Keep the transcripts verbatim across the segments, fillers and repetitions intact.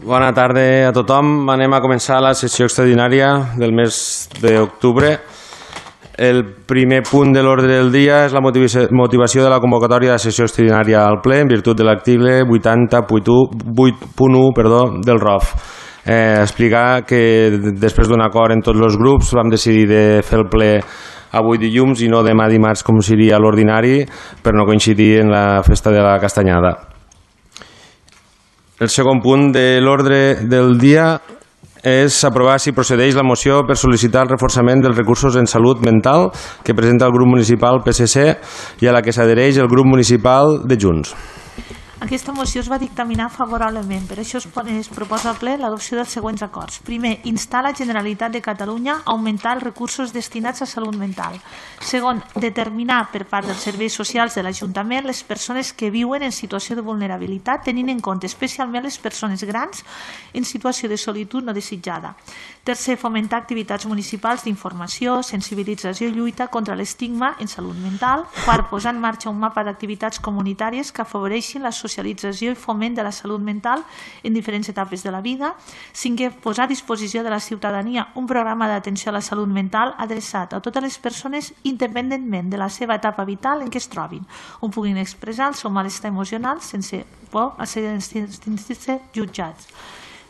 Bona tarda a tothom. Anem a començar la sessió extraordinària del mes d'octubre. El primer punt de l'ordre del dia és la motivació de la convocatòria de la sessió extraordinària al ple en virtut de l'article vuitanta punt u del R O F. Eh, explicar que després d'un acord en tots els grups vam decidir de fer el ple avui dilluns i no demà dimarts com seria l'ordinari per no coincidir en la festa de la Castanyada. El segon punt de l'ordre del dia és aprovar si procedeix la moció per sol·licitar el reforçament dels recursos en salut mental que presenta el grup municipal P S C i a la que s'adhereix el grup municipal de Junts. Aquesta moció es va dictaminar favorablement, per això es proposa al ple l'adopció dels següents acords. Primer, instar la Generalitat de Catalunya a augmentar els recursos destinats a salut mental. Segon, determinar per part dels serveis socials de l'Ajuntament les persones que viuen en situació de vulnerabilitat, tenint en compte especialment les persones grans en situació de solitud no desitjada. Tercer, fomentar activitats municipals d'informació, sensibilització i lluita contra l'estigma en salut mental. Quart, posar en marxa un mapa d'activitats comunitàries que afavoreixin la socialització i foment de la salut mental en diferents etapes de la vida. Cinquè, posar a disposició de la ciutadania un programa d'atenció a la salut mental adreçat a totes les persones independentment de la seva etapa vital en què es trobin, on puguin expressar el seu malestar emocional sense por a ser jutjats.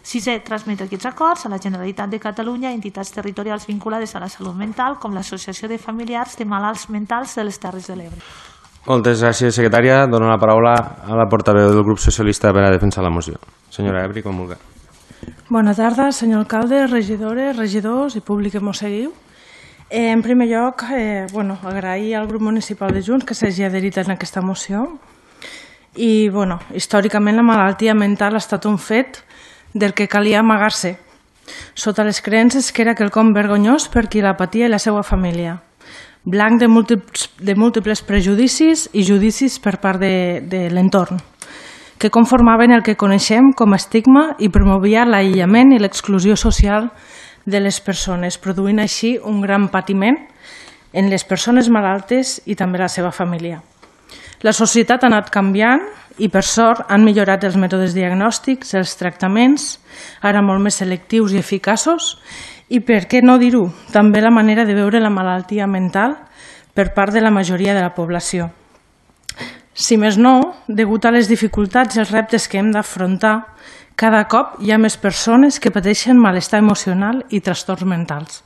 Sisè, transmetre aquests acords a la Generalitat de Catalunya i entitats territorials vinculades a la salut mental com l'Associació de Familiars de Malalts Mentals de les Terres de l'Ebre. Moltes gràcies, secretària. Dono la paraula a la portaveu del grup socialista per a defensar la moció. Senyora Ebri, com vulgui. Bona tarda, senyor alcalde, regidores, regidors i públic que mos seguiu. Eh, en primer lloc, eh, bueno, agrair al grup municipal de Junts que s'hagi adherit en aquesta moció. I, bueno, històricament la malaltia mental ha estat un fet del que calia amagar-se, sota les creences que era quelcom vergonyós per qui la patia i la seva família, blanc de múltiples, de múltiples prejudicis i judicis per part de, de l'entorn, que conformaven el que coneixem com a estigma i promovia l'aïllament i l'exclusió social de les persones, produint així un gran patiment en les persones malaltes i també la seva família. La societat ha anat canviant i, per sort, han millorat els mètodes diagnòstics, els tractaments, ara molt més selectius i eficaços, i, per què no dir-ho, també la manera de veure la malaltia mental per part de la majoria de la població. Si més no, degut a les dificultats i els reptes que hem d'afrontar, cada cop hi ha més persones que pateixen malestar emocional i trastorns mentals.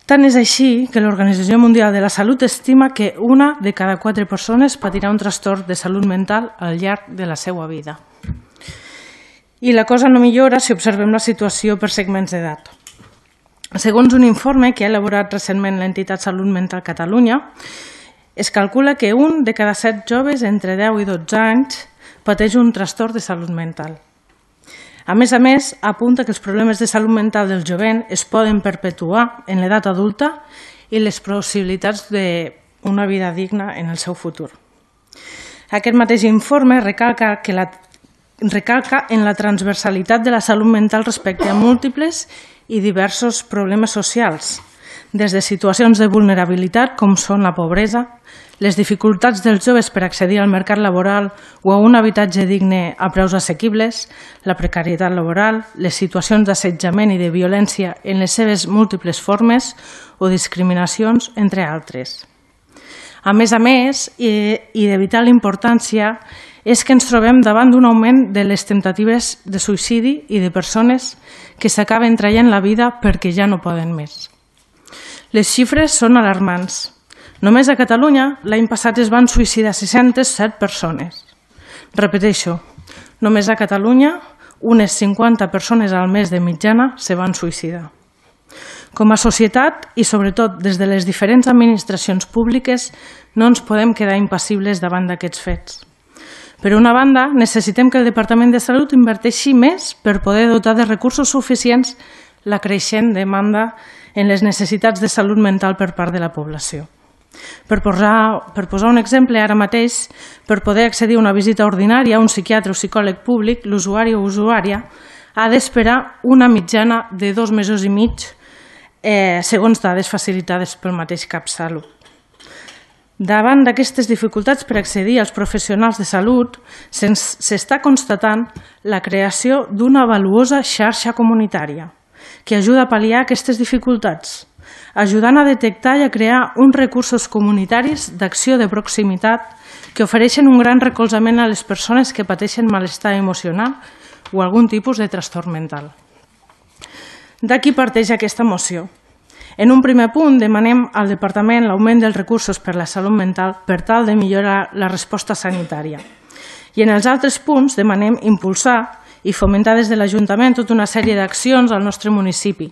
Tant és així que l'Organització Mundial de la Salut estima que una de cada quatre persones patirà un trastorn de salut mental al llarg de la seva vida. I la cosa no millora si observem la situació per segments d'edat. Segons un informe que ha elaborat recentment l'entitat Salut Mental Catalunya, es calcula que un de cada set joves entre deu i dotze anys pateix un trastorn de salut mental. A més a més, apunta que els problemes de salut mental del jovent es poden perpetuar en l'edat adulta i les possibilitats d'una vida digna en el seu futur. Aquest mateix informe recalca, que la, recalca en la transversalitat de la salut mental respecte a múltiples i diversos problemes socials, des de situacions de vulnerabilitat com són la pobresa, les dificultats dels joves per accedir al mercat laboral o a un habitatge digne a preus assequibles, la precarietat laboral, les situacions d'assetjament i de violència en les seves múltiples formes o discriminacions, entre altres. A més a més, i de vital importància, és que ens trobem davant d'un augment de les temptatives de suïcidi i de persones que s'acaben traient la vida perquè ja no poden més. Les xifres són alarmants. Només a Catalunya, l'any passat es van suïcidar sis-centes set persones. Repeteixo, només a Catalunya, unes cinquanta persones al mes de mitjana se van suïcidar. Com a societat i sobretot des de les diferents administracions públiques no ens podem quedar impassibles davant d'aquests fets. Per una banda, necessitem que el Departament de Salut inverteixi més per poder dotar de recursos suficients la creixent demanda en les necessitats de salut mental per part de la població. Per posar, per posar un exemple, ara mateix, per poder accedir a una visita ordinària a un psiquiatre o psicòleg públic, l'usuari o usuària ha d'esperar una mitjana de dos mesos i mig, eh, segons dades facilitades pel mateix CapSalut. Davant d'aquestes dificultats per accedir als professionals de salut, s'està constatant la creació d'una valuosa xarxa comunitària que ajuda a pal·liar aquestes dificultats, ajudant a detectar i a crear uns recursos comunitaris d'acció de proximitat que ofereixen un gran recolzament a les persones que pateixen malestar emocional o algun tipus de trastorn mental. D'aquí parteix aquesta moció. En un primer punt demanem al Departament l'augment dels recursos per a la salut mental per tal de millorar la resposta sanitària. I en els altres punts demanem impulsar i fomentar des de l'Ajuntament tota una sèrie d'accions al nostre municipi,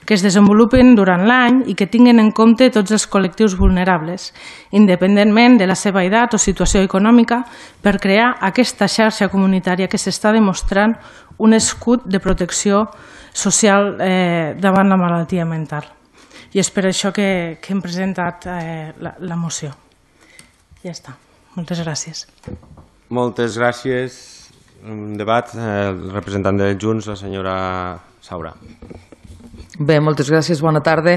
que es desenvolupen durant l'any i que tinguin en compte tots els col·lectius vulnerables, independentment de la seva edat o situació econòmica, per crear aquesta xarxa comunitària que s'està demostrant un escut de protecció social eh, davant la malaltia mental. I és per això que, que hem presentat eh, la, la moció. Ja està. Moltes gràcies. Moltes gràcies. Un debat, eh, el representant de Junts, la senyora Saura. Bé, moltes gràcies, bona tarda.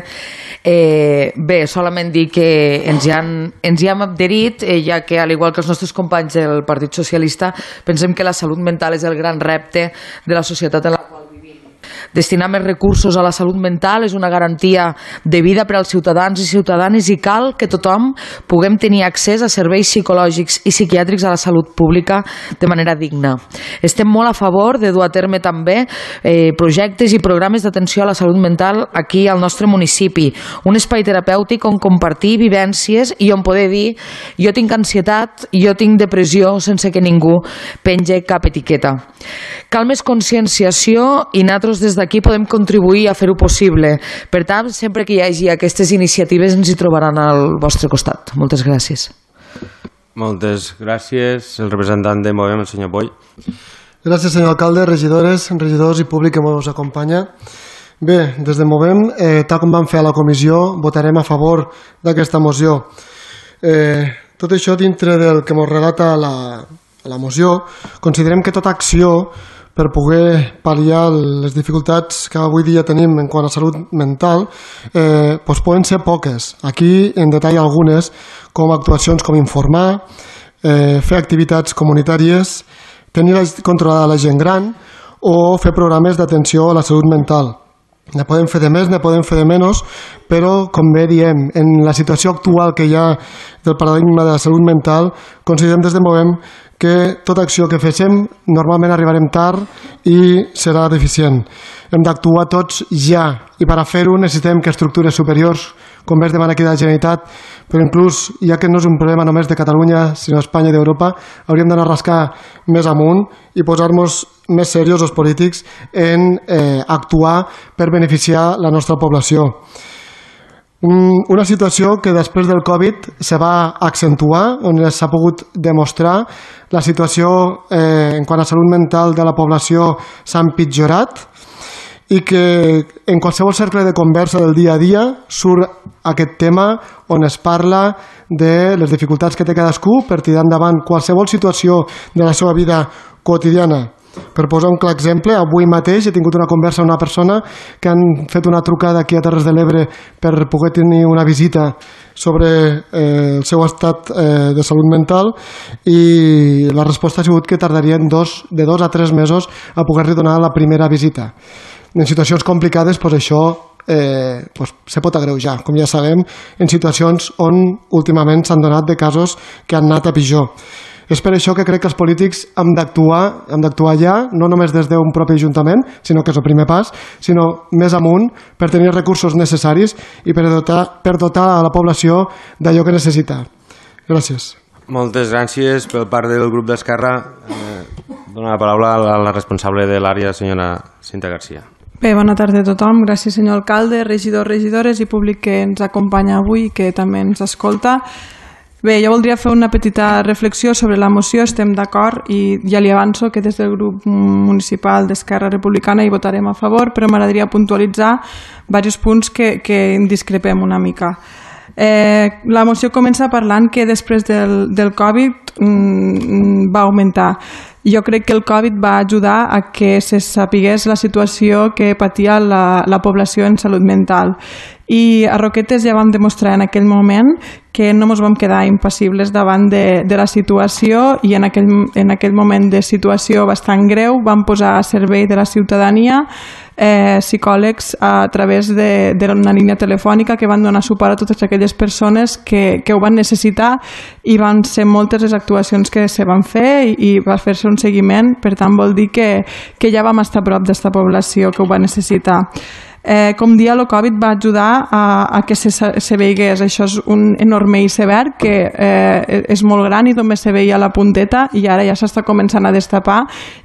Eh, bé, solament dir que ens hi, han, ens hi hem adherit, eh, ja que, al igual que els nostres companys del Partit Socialista, pensem que la salut mental és el gran repte de la societat en la qual vivim. Destinar més recursos a la salut mental és una garantia de vida per als ciutadans i ciutadanes i cal que tothom puguem tenir accés a serveis psicològics i psiquiàtrics a la salut pública de manera digna. Estem molt a favor de dur a terme també eh, projectes i programes d'atenció a la salut mental aquí al nostre municipi, un espai terapèutic on compartir vivències i on poder dir jo tinc ansietat, jo tinc depressió sense que ningú penge cap etiqueta. Cal més conscienciació i nosaltres des d'aquí podem contribuir a fer-ho possible. Per tant, sempre que hi hagi aquestes iniciatives ens hi trobaran al vostre costat. Moltes gràcies. Moltes gràcies. El representant de Movem, el senyor Boy. Gràcies, senyor alcalde, regidores, regidors i públic que ens acompanya. Bé, des de Movem, eh, tal com vam fer a la comissió, votarem a favor d'aquesta moció. Eh, tot això dintre del que ens relata la, la moció, considerem que tota acció per poder pal·liar les dificultats que avui dia tenim en quant a salut mental, eh, doncs poden ser poques. Aquí en detall algunes, com actuacions com informar, eh, fer activitats comunitàries, tenir controlada la gent gran o fer programes d'atenció a la salut mental. Ne podem fer de més, ne podem fer de menys, però, com bé diem, en la situació actual que hi ha del paradigma de la salut mental, considerem des de Movem que tota acció que féssim normalment arribarem tard i serà deficient. Hem d'actuar tots ja, i per a fer-ho necessitem que estructures superiors, com bé es demana aquí de la Generalitat, però inclús, ja que no és un problema només de Catalunya, sinó d'Espanya i d'Europa, hauríem d'anar a rascar més amunt i posar-nos més seriosos polítics en eh, actuar per beneficiar la nostra població. Una situació que després del Covid se va accentuar, on s'ha pogut demostrar la situació eh, en quant a salut mental de la població s'ha empitjorat i que en qualsevol cercle de conversa del dia a dia surt aquest tema on es parla de les dificultats que té cadascú per tirar endavant qualsevol situació de la seva vida quotidiana. Per posar un clar exemple, avui mateix he tingut una conversa amb una persona que han fet una trucada aquí a Terres de l'Ebre per poder tenir una visita sobre eh, el seu estat eh, de salut mental i la resposta ha sigut que tardarien dos, de dos a tres mesos a poder-li donar la primera visita. En situacions complicades, doncs això eh, doncs se pot agreujar, com ja sabem, en situacions on últimament s'han donat de casos que han anat a pitjor. És per això que crec que els polítics hem d'actuar, hem d'actuar ja, no només des d'un propi ajuntament, sinó que és el primer pas, sinó més amunt per tenir recursos necessaris i per dotar, per dotar a la població d'allò que necessita. Gràcies. Moltes gràcies. Per part del grup d'Esquerra, eh, dono la paraula a la responsable de l'àrea, senyora Cinta Garcia. Bé, bona tarda a tothom. Gràcies, senyor alcalde, regidors, regidores i públic que ens acompanya avui i que també ens escolta. Bé, jo voldria fer una petita reflexió sobre la moció. Estem d'acord i ja li avanço que des del grup municipal d'Esquerra Republicana hi votarem a favor, però m'agradaria puntualitzar diversos punts que, que discrepem una mica. Eh, la moció comença parlant que després del, del Covid mm, va augmentar. Jo crec que el Covid va ajudar a que se sapigués la situació que patia la, la població en salut mental i a Roquetes ja vam demostrar en aquell moment que no ens vam quedar impassibles davant de, de la situació i en aquell, en aquell moment de situació bastant greu vam posar a servei de la ciutadania eh, psicòlegs a través d'una línia telefònica que van donar suport a totes aquelles persones que, que ho van necessitar i van ser moltes les actuacions que se van fer i, i va fer-se un seguiment, per tant vol dir que, que ja vam estar a prop d'esta població que ho va necessitar. Eh, com dia, el Covid va ajudar a, a que se, se veigués. Això és un enorme iceberg que eh, és molt gran i només se veia la punteta i ara ja s'està començant a destapar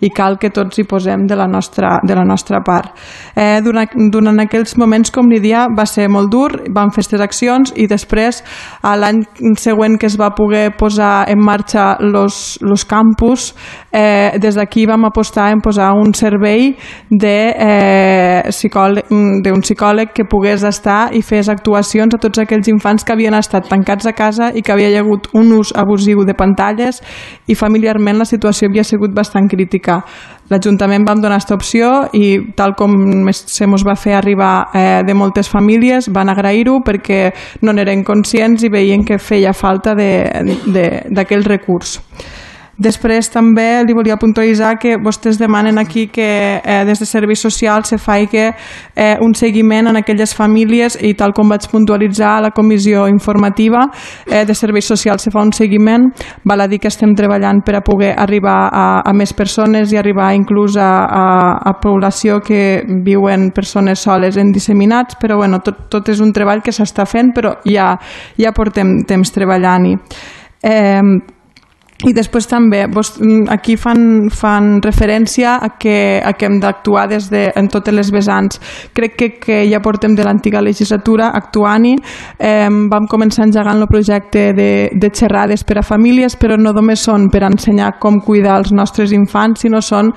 i cal que tots hi posem de la nostra, de la nostra part. Eh, durant, durant aquells moments, com li dia, va ser molt dur, vam fer aquestes accions i després, l'any següent que es va poder posar en marxa los, los campus, eh, des d'aquí vam apostar en posar un servei de eh, psicòleg d'un psicòleg que pogués estar i fes actuacions a tots aquells infants que havien estat tancats a casa i que havia hagut un ús abusiu de pantalles i familiarment la situació havia sigut bastant crítica. L'Ajuntament vam donar aquesta opció i tal com se mos va fer arribar eh, de moltes famílies van agrair-ho perquè no n'eren conscients i veien que feia falta d'aquell recurs. Després també li volia puntualitzar que vostès demanen aquí que eh, des de Serveis Socials se faci eh, un seguiment en aquelles famílies i tal com vaig puntualitzar a la comissió informativa eh, de Serveis Socials se fa un seguiment. Val a dir que estem treballant per a poder arribar a, a més persones i arribar inclús a, a, a població que viuen persones soles en disseminats, però bueno, tot, tot és un treball que s'està fent, però ja, ja portem temps treballant-hi. Eh, I després també aquí fan, fan referència a que, a que hem d'actuar des de, en totes les vessants. Crec que, que ja portem de l'antiga legislatura actuant-hi. Eh, vam començar engegant el projecte de, de xerrades per a famílies, però no només són per ensenyar com cuidar els nostres infants, sinó són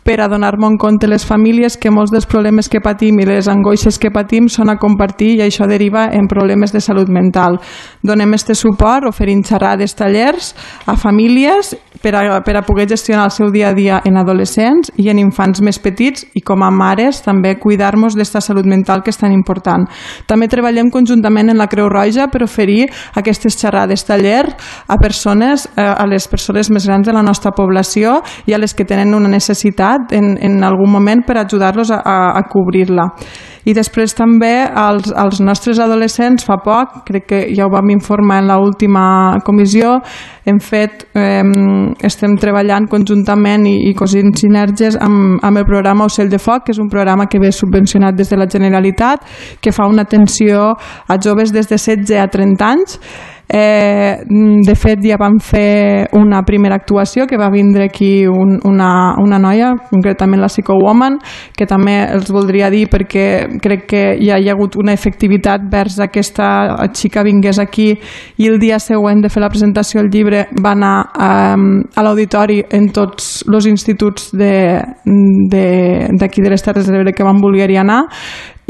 per a donar-me en compte les famílies que molts dels problemes que patim i les angoixes que patim són a compartir i això deriva en problemes de salut mental. Donem este suport oferint xerrades, tallers a famílies per a, per a poder gestionar el seu dia a dia en adolescents i en infants més petits i com a mares també cuidar-nos d'esta salut mental que és tan important. També treballem conjuntament en la Creu Roja per oferir aquestes xerrades, tallers a persones, a les persones més grans de la nostra població i a les que tenen una necessitat En, en algun moment per ajudar-los a, a, a cobrir-la. I després també als, als nostres adolescents fa poc, crec que ja ho vam informar en l'última comissió, hem fet, eh, estem treballant conjuntament i, i cosint sinergies amb, amb el programa Ocell de Foc, que és un programa que ve subvencionat des de la Generalitat, que fa una atenció a joves des de setze a trenta anys. Eh, de fet ja vam fer una primera actuació que va vindre aquí un, una, una noia, concretament la Psychowoman, que també els voldria dir perquè crec que ja hi ha hagut una efectivitat vers aquesta xica vingués aquí i el dia següent de fer la presentació del llibre va anar eh, a l'auditori en tots els instituts d'aquí de, de, de les Terres de l'Ebre que van voler anar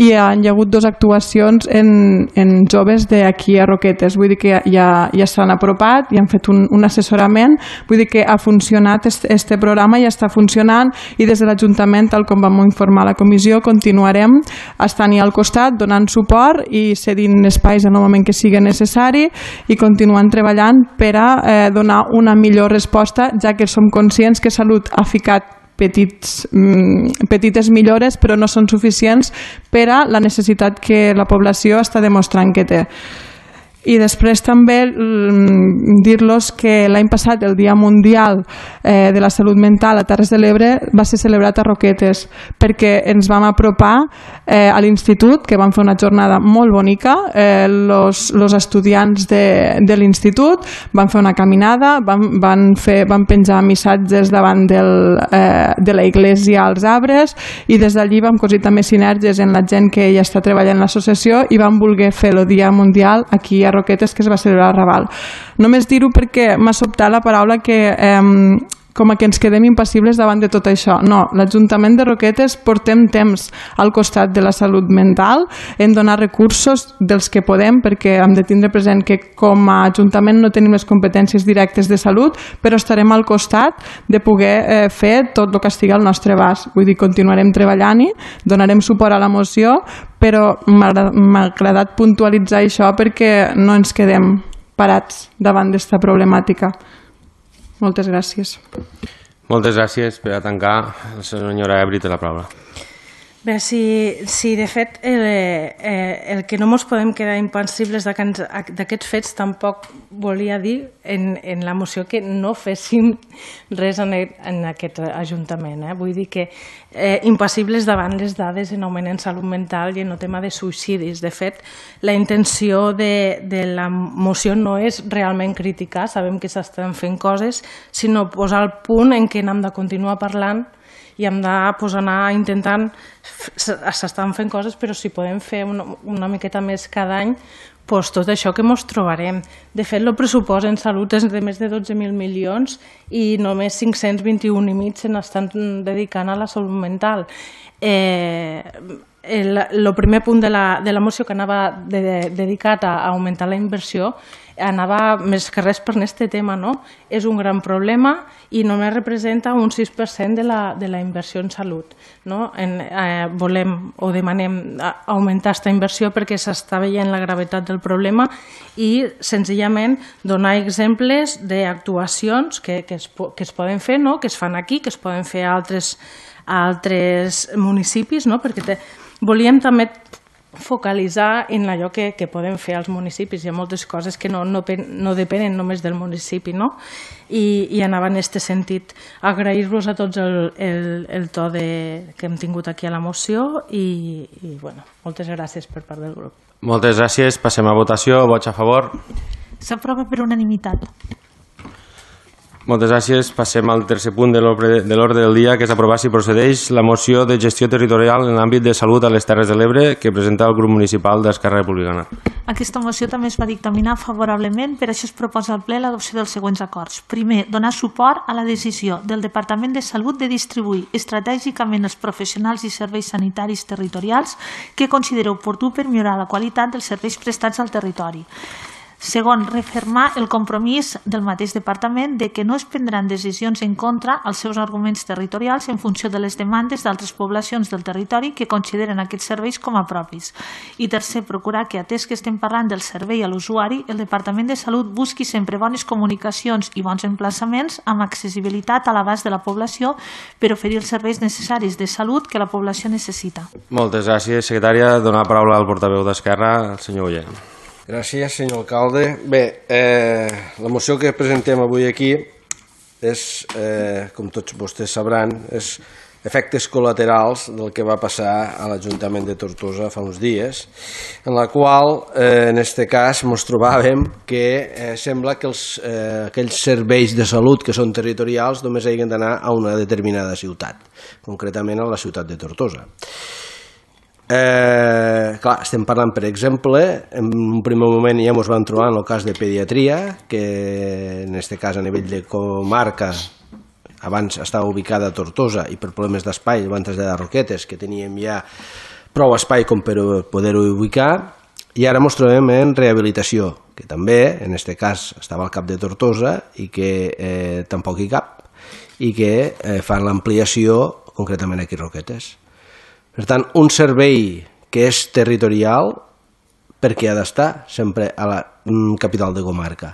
i hi ha hagut dues actuacions en, en joves d'aquí a Roquetes, vull dir que ja, ja s'han apropat i han fet un, un assessorament, vull dir que ha funcionat este, este programa, ja està funcionant i des de l'Ajuntament, tal com vam informar a la comissió, continuarem estant-hi al costat, donant suport i cedint espais en el moment que sigui necessari i continuant treballant per a eh, donar una millor resposta, ja que som conscients que Salut ha ficat Petits, petites millores però no són suficients per a la necessitat que la població està demostrant que té. I després també dir-los que l'any passat el Dia Mundial eh, de la Salut Mental a Terres de l'Ebre va ser celebrat a Roquetes perquè ens vam apropar eh, a l'institut, que vam fer una jornada molt bonica, eh, los, los estudiants de, de l'institut van fer una caminada, van, van, fer, van penjar missatges davant del, eh, de la iglesia als arbres i des d'allí vam cosir també sinergies en la gent que ja està treballant en l'associació i vam voler fer el Dia Mundial aquí a Roquetes, que es va celebrar a Raval. Només dir-ho perquè m'ha sobtat la paraula que eh, com a que ens quedem impassibles davant de tot això. No, l'Ajuntament de Roquetes portem temps al costat de la salut mental, en donar recursos dels que podem, perquè hem de tindre present que com a Ajuntament no tenim les competències directes de salut, però estarem al costat de poder eh, fer tot el que estigui al nostre abast. Vull dir, continuarem treballant-hi, donarem suport a la moció, però m'ha agradat puntualitzar això perquè no ens quedem parats davant d'esta problemàtica. Moltes gràcies. Moltes gràcies. Per a tancar, la senyora Ebri té la paraula. Bé, si, si de fet el, eh, el que no ens podem quedar impassibles d'aquests fets tampoc volia dir en, en la moció que no féssim res en, en aquest Ajuntament. Eh? Vull dir que eh, impassibles davant les dades en augment en salut mental i en el tema de suïcidis. De fet, la intenció de, de la moció no és realment criticar, sabem que s'estan fent coses, sinó posar el punt en què hem de continuar parlant i hem de pues, anar intentant, s'estan fent coses, però si podem fer una, una miqueta més cada any, pues, tot això que ens trobarem. De fet, el pressupost en salut és de més de dotze mil milions i només cinc-cents vint-i-un i mig se n'estan dedicant a la salut mental. Eh, el, el primer punt de la, de la moció que anava de, de, dedicat a augmentar la inversió anava més que res per aquest tema, no? És un gran problema i només representa un sis per cent de la, de la inversió en salut. No? En, eh, volem o demanem augmentar aquesta inversió perquè s'està veient la gravetat del problema i senzillament donar exemples d'actuacions que, que, es, que es poden fer, no? Que es fan aquí, que es poden fer a altres, a altres municipis, no? Perquè te, volíem també focalitzar en allò que, que podem fer als municipis. Hi ha moltes coses que no, no, no depenen només del municipi, no? I, i anava en aquest sentit. Agrair-vos a tots el, el, el to de, que hem tingut aquí a la moció i, i bueno, moltes gràcies per part del grup. Moltes gràcies. Passem a votació. Vots a favor? S'aprova per unanimitat. Moltes gràcies. Passem al tercer punt de l'ordre del dia, que és aprovar si procedeix la moció de gestió territorial en l'àmbit de salut a les Terres de l'Ebre que presenta el grup municipal d'Esquerra Republicana. Aquesta moció també es va dictaminar favorablement, per això es proposa al ple l'adopció dels següents acords. Primer, donar suport a la decisió del Departament de Salut de distribuir estratègicament els professionals i serveis sanitaris territorials que considera oportú per millorar la qualitat dels serveis prestats al territori. Segon, refermar el compromís del mateix departament de que no es prendran decisions en contra als seus arguments territorials en funció de les demandes d'altres poblacions del territori que consideren aquests serveis com a propis. I tercer, procurar que, atès que estem parlant del servei a l'usuari, el Departament de Salut busqui sempre bones comunicacions i bons emplaçaments amb accessibilitat a l'abast de la població per oferir els serveis necessaris de salut que la població necessita. Moltes gràcies, secretària. Donar la paraula al portaveu d'Esquerra, el senyor Oller. Gràcies, senyor alcalde. Bé, eh, la moció que presentem avui aquí és, eh, com tots vostès sabran, és efectes col·laterals del que va passar a l'Ajuntament de Tortosa fa uns dies, en la qual, eh, en aquest cas, ens trobàvem que eh, sembla que els, eh, aquells serveis de salut que són territorials només hagin d'anar a una determinada ciutat, concretament a la ciutat de Tortosa. Eh, clar, estem parlant, per exemple, en un primer moment ja ens vam trobar en el cas de pediatria, que en aquest cas a nivell de comarca abans estava ubicada a Tortosa i per problemes d'espai van traslladar a Roquetes, que teníem ja prou espai com per poder-ho ubicar, i ara ens trobem en rehabilitació, que també, en aquest cas, estava al cap de Tortosa i que eh, tampoc hi cap, i que eh, fan l'ampliació concretament aquí a Roquetes. Per tant, un servei que és territorial, per què ha d'estar sempre a la capital de comarca?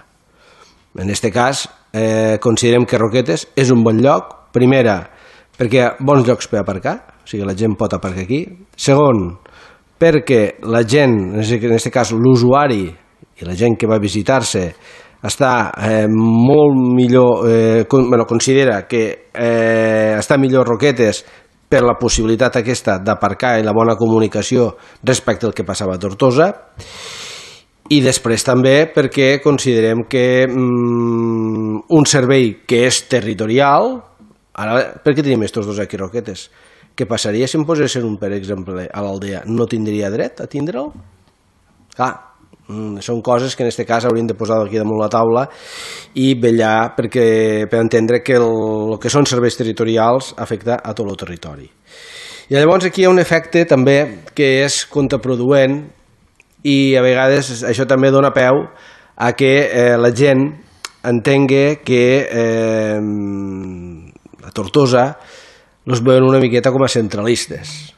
En aquest cas, eh, considerem que Roquetes és un bon lloc, primera, perquè hi ha bons llocs per aparcar, o sigui, la gent pot aparcar aquí. Segon, perquè la gent, en aquest cas l'usuari i la gent que va a visitar-se, està eh, molt millor, eh, con, bueno, considera que eh, està millor Roquetes per la possibilitat aquesta d'aparcar i la bona comunicació respecte al que passava a Tortosa, i després també perquè considerem que mm, un servei que és territorial, ara, per què tenim aquests dos aquí Roquetes? Què passaria si em posessin un, per exemple, a l'aldea? No tindria dret a tindre'l? Clar, Són coses que en aquest cas hauríem de posar aquí damunt la taula i vetllar perquè, per entendre que el, el que són serveis territorials afecta a tot el territori. I llavors aquí hi ha un efecte també que és contraproduent i a vegades això també dona peu a que eh, la gent entengui que eh, a Tortosa els veuen una miqueta com a centralistes.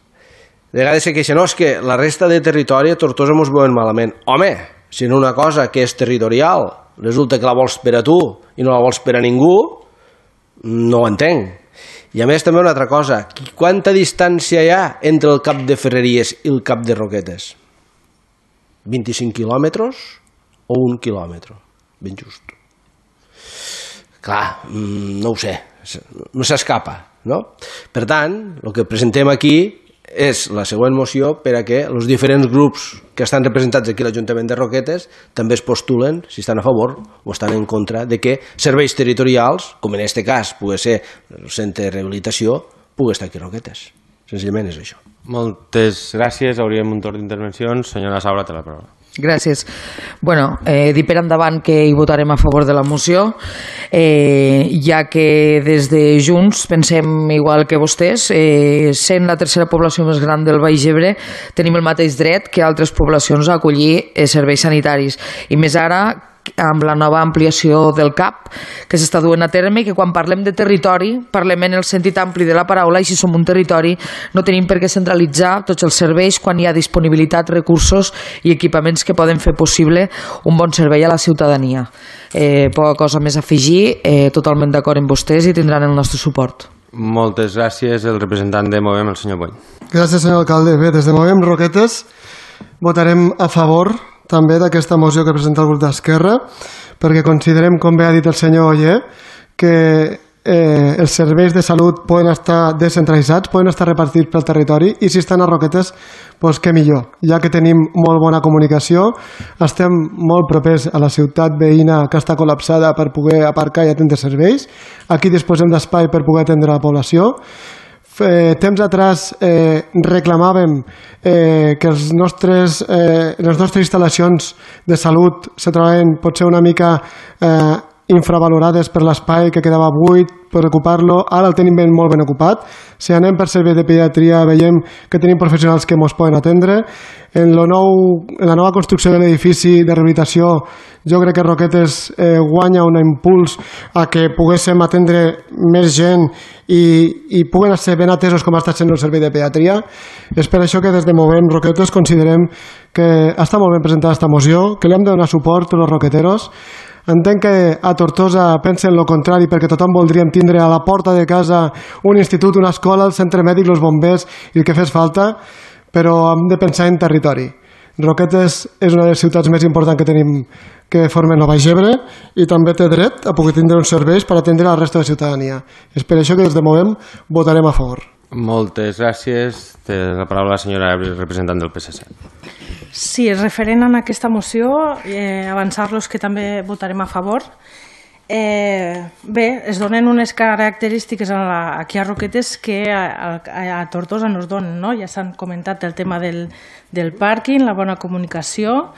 De vegades se queixa, no, és que la resta de territori a Tortosa mos veuen malament. Home, si en una cosa que és territorial resulta que la vols per a tu i no la vols per a ningú, no ho entenc. I a més també una altra cosa, quanta distància hi ha entre el cap de Ferreries i el cap de Roquetes? vint-i-cinc quilòmetres o un quilòmetre? Ben just. Clar, no ho sé, no s'escapa, no? Per tant, el que presentem aquí és la següent moció per a que els diferents grups que estan representats aquí a l'Ajuntament de Roquetes també es postulen si estan a favor o estan en contra de que serveis territorials, com en aquest cas pugui ser el centre de rehabilitació, pugui estar aquí a Roquetes. Senzillament és això. Moltes gràcies. Hauríem un torn d'intervencions. Senyora Saura, té la paraula. Gràcies. Bueno, eh, dir per endavant que hi votarem a favor de la moció, eh, ja que des de Junts pensem igual que vostès, eh, sent la tercera població més gran del Baix Ebre, tenim el mateix dret que altres poblacions a acollir eh, serveis sanitaris. I més ara, amb la nova ampliació del C A P que s'està duent a terme, i que quan parlem de territori parlem en el sentit ampli de la paraula, i si som un territori no tenim per què centralitzar tots els serveis quan hi ha disponibilitat, recursos i equipaments que poden fer possible un bon servei a la ciutadania. Eh, poca cosa més a afegir, eh, totalment d'acord amb vostès i tindran el nostre suport. Moltes gràcies. El representant de Movem, el senyor Bony. Gràcies, senyor alcalde. Bé, des de Movem Roquetes votarem a favor també d'aquesta moció que presenta el grup d'Esquerra, perquè considerem, com bé ha dit el senyor Oller, que eh, els serveis de salut poden estar descentralitzats, poden estar repartits pel territori, i si estan a Roquetes, doncs què millor. Ja que tenim molt bona comunicació, estem molt propers a la ciutat veïna que està col·lapsada per poder aparcar i atendre serveis. Aquí disposem d'espai per poder atendre la població. Eh, temps atrás eh, reclamàvem eh, que els nostres, eh, les nostres instal·lacions de salut se trobaven potser una mica eh, infravalorades per l'espai que quedava buit, per ocupar-lo. Ara el tenim ben, molt ben ocupat. Si anem per servei de pediatria veiem que tenim professionals que ens poden atendre. En, lo nou, en la nova construcció de l'edifici de rehabilitació jo crec que Roquetes eh, guanya un impuls a que poguéssim atendre més gent i, i puguen ser ben atesos com està sent el servei de pediatria. És per això que des de Movem Roquetes considerem que està molt ben presentada aquesta moció, que li hem de donar suport tots els roqueteros. Entenc que a Tortosa pensen el contrari, perquè tothom voldríem tindre a la porta de casa un institut, una escola, el centre mèdic, els bombers i el que fes falta, però hem de pensar en territori. Roquetes és una de les ciutats més importants que tenim, que formen el Baix Ebre, i també té dret a poder tindre uns serveis per atendre la resta de la ciutadania. És per això que des de Movem votarem a favor. Moltes gràcies. Té la paraula la senyora representant del P S C. Sí, referent a aquesta moció, eh, avançar-los que també votarem a favor. Eh, bé, es donen unes característiques a la, aquí a Roquetes que a, a, a Tortosa no es donen, no? Ja s'han comentat el tema del, del pàrquing, la bona comunicació,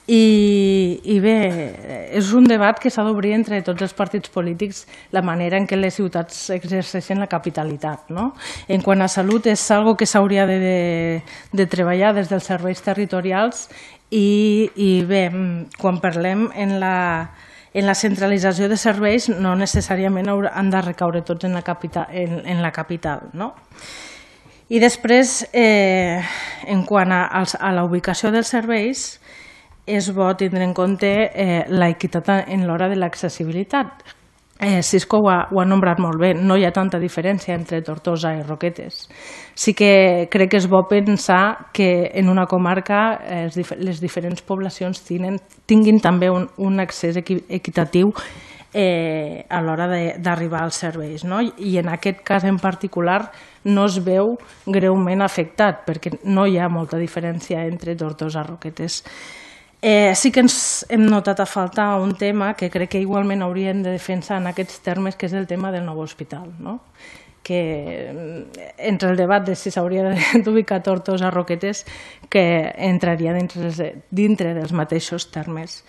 i, i bé, és un debat que s'ha d'obrir entre tots els partits polítics la manera en què les ciutats exerceixen la capitalitat, no? En quant a salut és algo que s'hauria de, de, de treballar des dels serveis territorials i, i bé, quan parlem en la en la centralització de serveis no necessàriament han de recaure tots en la capital, en, en la capital, no? I després, eh, en quant a, a la ubicació dels serveis, és bo tindre en compte eh, l'equitat en l'hora de l'accessibilitat. Eh, Cisco ho ha, ho ha nombrat molt bé, no hi ha tanta diferència entre Tortosa i Roquetes. Sí que crec que és bo pensar que en una comarca eh, les diferents poblacions tinguin, tinguin també un, un accés equi, equitatiu eh, a l'hora d'arribar als serveis, no? I en aquest cas en particular no es veu greument afectat perquè no hi ha molta diferència entre Tortosa i Roquetes. Eh, sí que ens hem notat a faltar un tema que crec que igualment haurien de defensar en aquests termes, que és el tema del nou hospital, no? que entre el debat de si s'hauria d'ubicar Tortosa o Roquetes, que entraria dintre, dintre dels mateixos termes.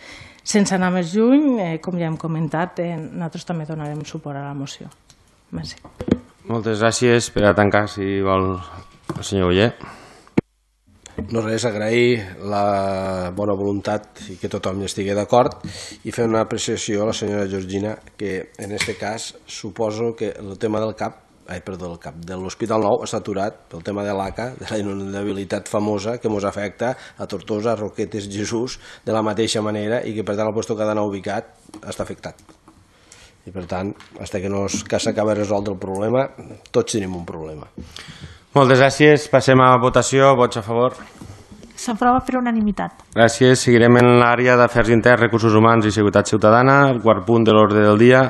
Sense anar més lluny, eh, com ja hem comentat, eh, nosaltres també donarem suport a la moció. Merci. Moltes gràcies. Per a tancar, si vol, el senyor Oller. No res, agrair la bona voluntat i que tothom hi estigui d'acord i fer una apreciació a la senyora Georgina, que en aquest cas suposo que el tema del CAP Ai, perdó, el cap de l'Hospital Nou està aturat pel tema de l'A C A, de la inundabilitat famosa que ens afecta a Tortosa, a Roquetes, Jesús, de la mateixa manera, i que per tant el lloc que ha d'anar ubicat està afectat. I per tant, fins que no s'acaba de resoldre el problema, tots tenim un problema. Moltes gràcies. Passem a votació. Vots a favor. S'aprova per unanimitat. Gràcies. Seguirem en l'àrea d'Afers Interns, Recursos Humans i Seguretat Ciutadana. El quart punt de l'ordre del dia,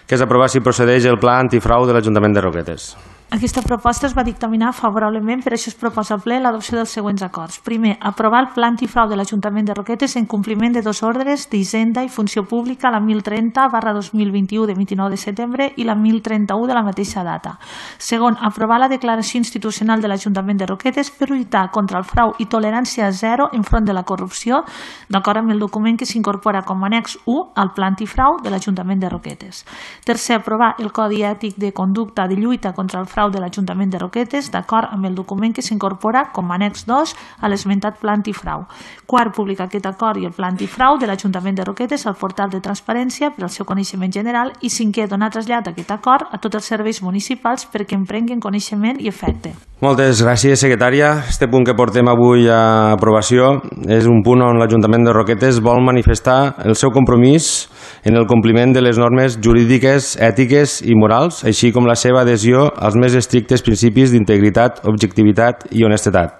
que és aprovar si procedeix el pla antifrau de l'Ajuntament de Roquetes. Aquesta proposta es va dictaminar favorablement, per això es proposa al ple l'adopció dels següents acords. Primer, aprovar el pla antifrau de l'Ajuntament de Roquetes en compliment de dos ordres d'Hisenda i Funció Pública, la mil trenta barra dos mil vint-i-u de vint-i-nou de setembre i la mil trenta-u de la mateixa data. Segon, aprovar la declaració institucional de l'Ajuntament de Roquetes per lluitar contra el frau i tolerància zero enfront de la corrupció, d'acord amb el document que s'incorpora com a annex u al pla antifrau de l'Ajuntament de Roquetes. Tercer, aprovar el Codi Ètic de Conducta de Lluita contra el Frau de l'Ajuntament de Roquetes, d'acord amb el document que s'incorpora com a annex dos a l'esmentat pla antifrau. Quart, publicar aquest acord i el pla antifrau de l'Ajuntament de Roquetes al portal de transparència per al seu coneixement general. I cinquè, donar trasllat aquest acord a tots els serveis municipals perquè en prenguin coneixement i efecte. Moltes gràcies, secretària. Este punt que portem avui a aprovació és un punt on l'Ajuntament de Roquetes vol manifestar el seu compromís en el compliment de les normes jurídiques, ètiques i morals, així com la seva adhesió als més estrictes principis d'integritat, objectivitat i honestedat.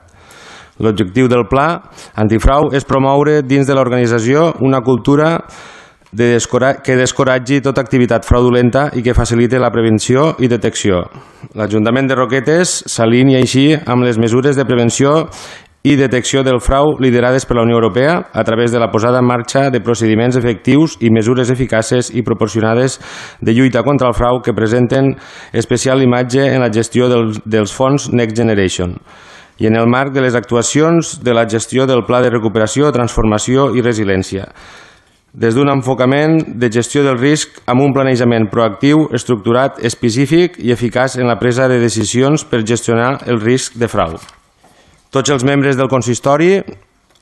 L'objectiu del pla antifrau és promoure dins de l'organització una cultura de descora- que descoratgi tota activitat fraudulenta i que facilite la prevenció i detecció. L'Ajuntament de Roquetes s'alinea així amb les mesures de prevenció i detecció del frau liderades per la Unió Europea a través de la posada en marxa de procediments efectius i mesures eficaces i proporcionades de lluita contra el frau que presenten especial imatge en la gestió dels, dels fons Next Generation i en el marc de les actuacions de la gestió del Pla de Recuperació, Transformació i Resiliència, des d'un enfocament de gestió del risc amb un planejament proactiu, estructurat, específic i eficaç en la presa de decisions per gestionar el risc de frau. Tots els membres del consistori,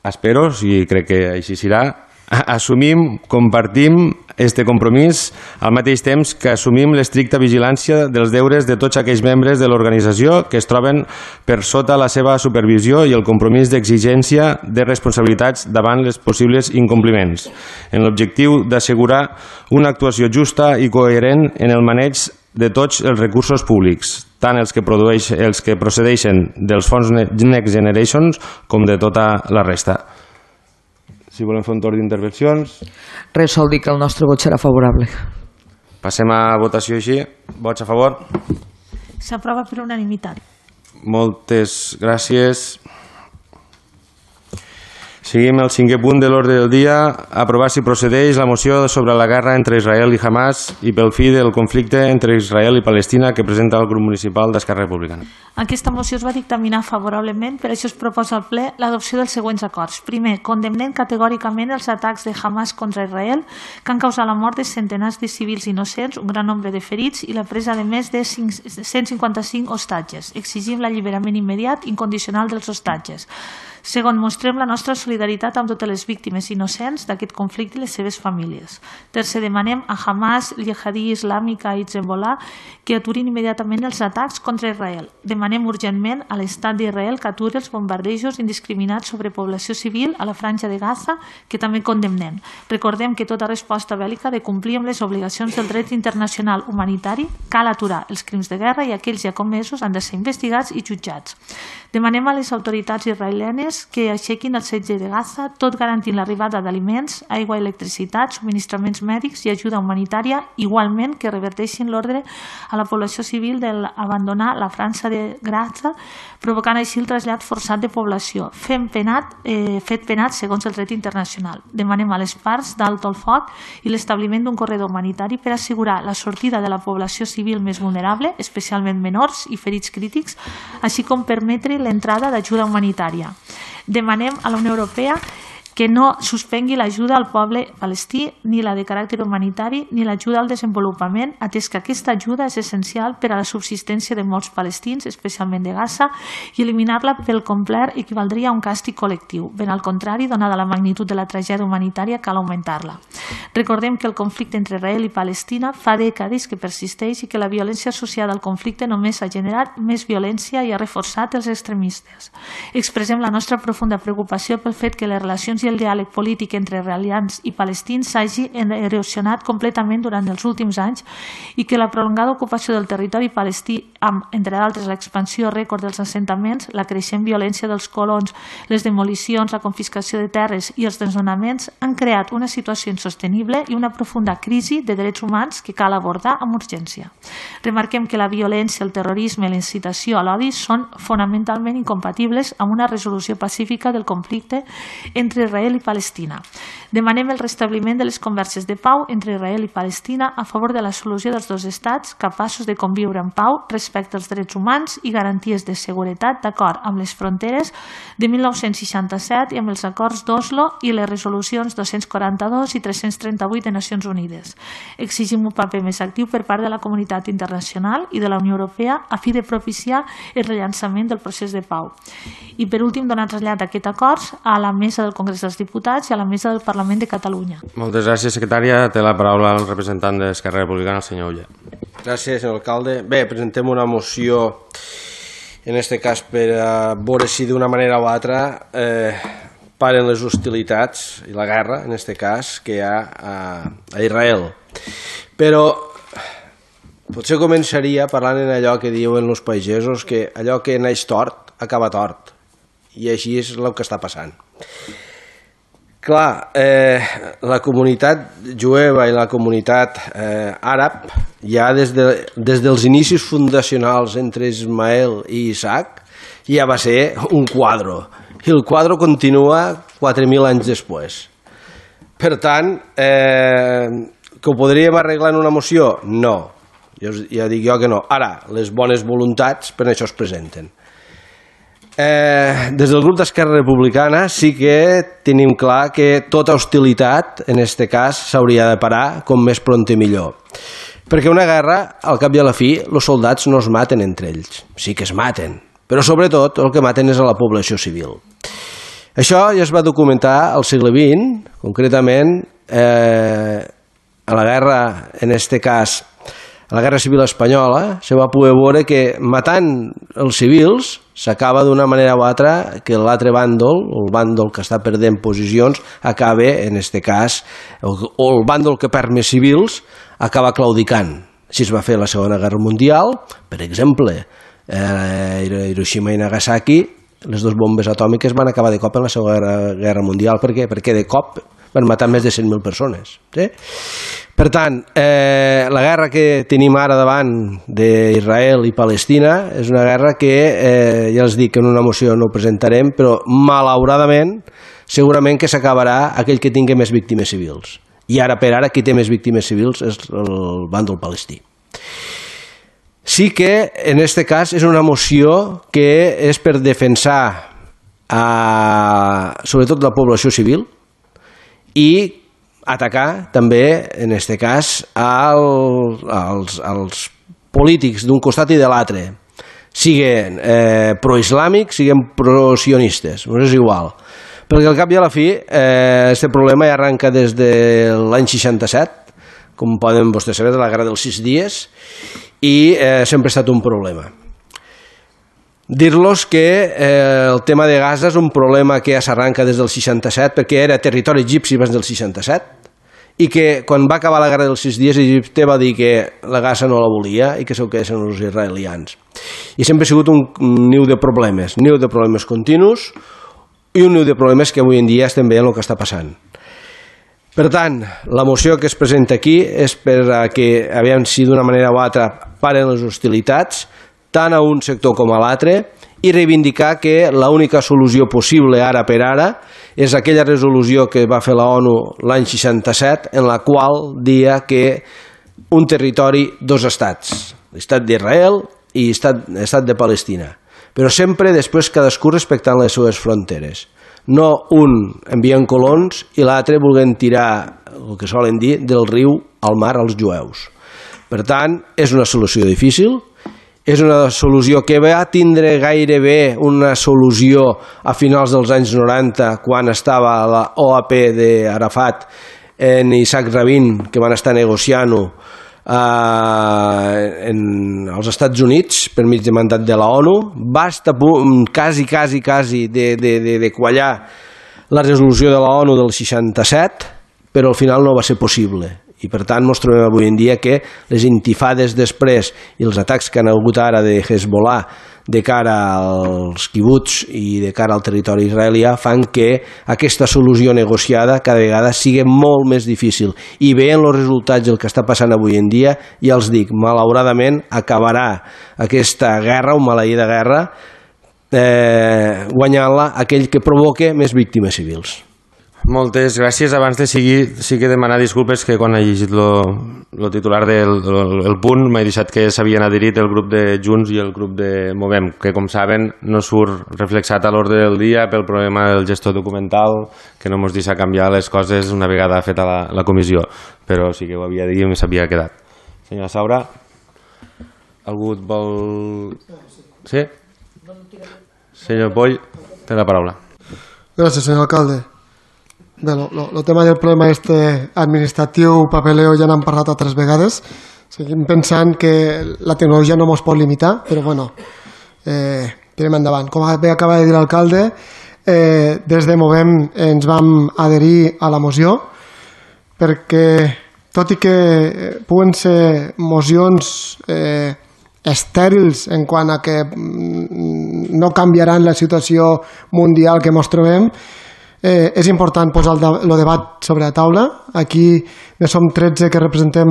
espero, i crec que així serà, assumim, compartim este compromís al mateix temps que assumim l'estricta vigilància dels deures de tots aquells membres de l'organització que es troben per sota la seva supervisió i el compromís d'exigència de responsabilitats davant les possibles incompliments, en l'objectiu d'assegurar una actuació justa i coherent en el maneig de tots els recursos públics, tant els que, produeix, els que procedeixen dels fons Next Generations com de tota la resta. Si volem fer un torn d'intervencions... Res, sol dir que el nostre vot serà favorable. Passem a votació així. Vots a favor? S'aprova per unanimitat. Moltes gràcies. Seguim el cinquè punt de l'ordre del dia, aprovar si procedeix la moció sobre la guerra entre Israel i Hamas i pel fi del conflicte entre Israel i Palestina que presenta el grup municipal d'Esquerra Republicana. Aquesta moció es va dictaminar favorablement, per això es proposa al ple l'adopció dels següents acords. Primer, condemnem categòricament els atacs de Hamas contra Israel que han causat la mort de centenars de civils innocents, un gran nombre de ferits i la presa de més de cent cinquanta-cinc hostatges. Exigim l'alliberament immediat i incondicional dels hostatges. Segon, mostrem la nostra solidaritat amb totes les víctimes innocents d'aquest conflicte i les seves famílies. Tercer, demanem a Hamas, Jihadi Islàmica i Hezbollah que aturin immediatament els atacs contra Israel. Demanem urgentment a l'Estat d'Israel que aturi els bombardejos indiscriminats sobre població civil a la franja de Gaza, que també condemnem. Recordem que tota resposta bèl·lica ha de complir amb les obligacions del dret internacional humanitari, cal aturar els crims de guerra i aquells ja comesos han de ser investigats i jutjats. Demanem a les autoritats israelianes armes que aixequin el setge de Gaza, tot garantint l'arribada d'aliments, aigua, electricitat, subministraments mèdics i ajuda humanitària, igualment que reverteixin l'ordre a la població civil d'abandonar la França de Gaza, provocant així el trasllat forçat de població, fent penat, eh, fet penat segons el dret internacional. Demanem a les parts d'alto el foc i l'establiment d'un corredor humanitari per assegurar la sortida de la població civil més vulnerable, especialment menors i ferits crítics, així com permetre l'entrada d'ajuda humanitària. Demanem a la Unió Europea que no suspengui l'ajuda al poble palestí, ni la de caràcter humanitari, ni l'ajuda al desenvolupament, atès que aquesta ajuda és essencial per a la subsistència de molts palestins, especialment de Gaza, i eliminar-la pel complet equivaldria a un càstig col·lectiu. Ben al contrari, donada la magnitud de la tragèdia humanitària, cal augmentar-la. Recordem que el conflicte entre Israel i Palestina fa dècades que persisteix i que la violència associada al conflicte només ha generat més violència i ha reforçat els extremistes. Expressem la nostra profunda preocupació pel fet que les relacions i el diàleg polític entre israelians i palestins s'hagi erosionat completament durant els últims anys i que la prolongada ocupació del territori palestí, amb, entre d'altres, l'expansió rècord dels assentaments, la creixent violència dels colons, les demolicions, la confiscació de terres i els desnonaments han creat una situació insostenible i una profunda crisi de drets humans que cal abordar amb urgència. Remarquem que la violència, el terrorisme i la incitació a l'odi són fonamentalment incompatibles amb una resolució pacífica del conflicte entre Israel i Palestina. Demanem el restabliment de les converses de pau entre Israel i Palestina a favor de la solució dels dos estats capaços de conviure en pau respecte als drets humans i garanties de seguretat d'acord amb les fronteres de mil nou-cents seixanta-set i amb els acords d'Oslo i les resolucions dos-cents quaranta-dos i tres-cents trenta-vuit de Nacions Unides. Exigim un paper més actiu per part de la comunitat internacional i de la Unió Europea a fi de propiciar el rellançament del procés de pau. I per últim, donar trasllat aquest acord a la Mesa del Congrés dels Diputats i a la Mesa del Parlament de Catalunya. Moltes gràcies, secretària. Té la paraula el representant d'Esquerra Republicana, el senyor Ulla. Gràcies, senyor alcalde. Bé, presentem una moció, en aquest cas per a veure si d'una manera o altra eh, paren les hostilitats i la guerra, en aquest cas, que hi ha a, a Israel. Però potser començaria parlant en allò que diuen els pagesos, que allò que naix tort acaba tort. I així és el que està passant. Clar, eh, la comunitat jueva i la comunitat eh, àrab, ja des, de, des dels inicis fundacionals entre Ismael i Isaac, ja va ser un quadro. I el quadro continua quatre mil anys després. Per tant, eh, que ho podríem arreglar en una moció? No. Ja, ja dic jo que no. Ara, les bones voluntats per això es presenten. Eh, des del grup d'Esquerra Republicana sí que tenim clar que tota hostilitat, en aquest cas, s'hauria de parar com més pront i millor. Perquè una guerra, al cap i a la fi, els soldats no es maten entre ells. Sí que es maten, però sobretot el que maten és a la població civil. Això ja es va documentar al segle vint, concretament eh, a la guerra, en aquest cas, a la Guerra Civil Espanyola, se va poder veure que matant els civils s'acaba d'una manera o altra que l'altre bàndol, el bàndol que està perdent posicions, acaba, en aquest cas, o el bàndol que perd més civils, acaba claudicant. Així es va fer la Segona Guerra Mundial, per exemple, eh, Hiroshima i Nagasaki, les dues bombes atòmiques van acabar de cop en la Segona Guerra Mundial. Per què? Perquè de cop van matar més de cent mil persones. Sí? Per tant, eh, la guerra que tenim ara davant d'Israel i Palestina és una guerra que, eh, ja els dic que en una moció no ho presentarem, però malauradament segurament que s'acabarà aquell que tingui més víctimes civils. I ara per ara qui té més víctimes civils és el bàndol palestí. Sí que en aquest cas és una moció que és per defensar a, sobretot la població civil i atacar també, en aquest cas, al, als, als polítics d'un costat i de l'altre, siguin eh, proislàmics, siguin prosionistes, no és igual. Perquè al cap i a la fi, aquest eh, problema ja arrenca des de l'any seixanta-set, com poden vostès saber, de la Guerra dels Sis Dies, i eh, sempre ha estat un problema. Dir-los que eh, el tema de Gaza és un problema que ja s'arranca des del seixanta-set, perquè era territori egipci abans del seixanta-set, i que quan va acabar la Guerra dels Sis Dies Egipte va dir que la Gaza no la volia i que s'ho quedessin els israelians. I sempre ha sigut un niu de problemes, niu de problemes continus, i un dels problemes que avui en dia estem veient el que està passant. Per tant, la moció que es presenta aquí és per a que, aviam si d'una manera o altra paren les hostilitats, tant a un sector com a l'altre, i reivindicar que l'única solució possible ara per ara és aquella resolució que va fer la ONU l'any seixanta-set, en la qual dia que un territori, dos estats, l'estat d'Israel i l'estat de Palestina, però sempre després cadascú respectant les seves fronteres. No un enviant colons i l'altre volent tirar, el que solen dir, del riu al mar als jueus. Per tant, és una solució difícil, és una solució que va tindre gairebé una solució a finals dels anys noranta, quan estava la O A P d'Arafat en Isaac Rabin, que van estar negociant-ho eh, als Estats Units per mig de mandat de la ONU. Va estar quasi, quasi, quasi de, de, de, de quallar la resolució de la ONU del seixanta-set, però al final no va ser possible. I per tant ens trobem avui en dia que les intifades després i els atacs que han hagut ara de Hezbollah de cara als quibuts i de cara al territori israelià fan que aquesta solució negociada cada vegada sigui molt més difícil. I veient els resultats del que està passant avui en dia, ja els dic, malauradament acabarà aquesta guerra, un maleïda guerra, eh, guanyant-la aquell que provoca més víctimes civils. Moltes gràcies. Abans de seguir, sí que demanar disculpes que quan he llegit el titular del el, el punt m'he deixat que s'havien adherit el grup de Junts i el grup de Movem, que com saben no surt reflexat a l'ordre del dia pel problema del gestor documental, que no ens deixa canviar les coses una vegada feta la, la comissió, però sí que ho havia de dir i s'havia quedat. Senyora Saura, algú vol... Sí? Senyor Poll, té la paraula. Gràcies, senyor alcalde. Bé, el tema del problema este administratiu, papeleo, ja n'hem parlat altres vegades. Seguim pensant que la tecnologia no ens pot limitar, però bueno, eh, tirem endavant. Com bé acaba de dir l'alcalde, eh, des de Movem ens vam adherir a la moció, perquè tot i que puguen ser mocions eh, estèrils en quant a que no canviaran la situació mundial que ens trobem, Eh, és important posar el, el debat sobre la taula. Aquí ne som tretze que representem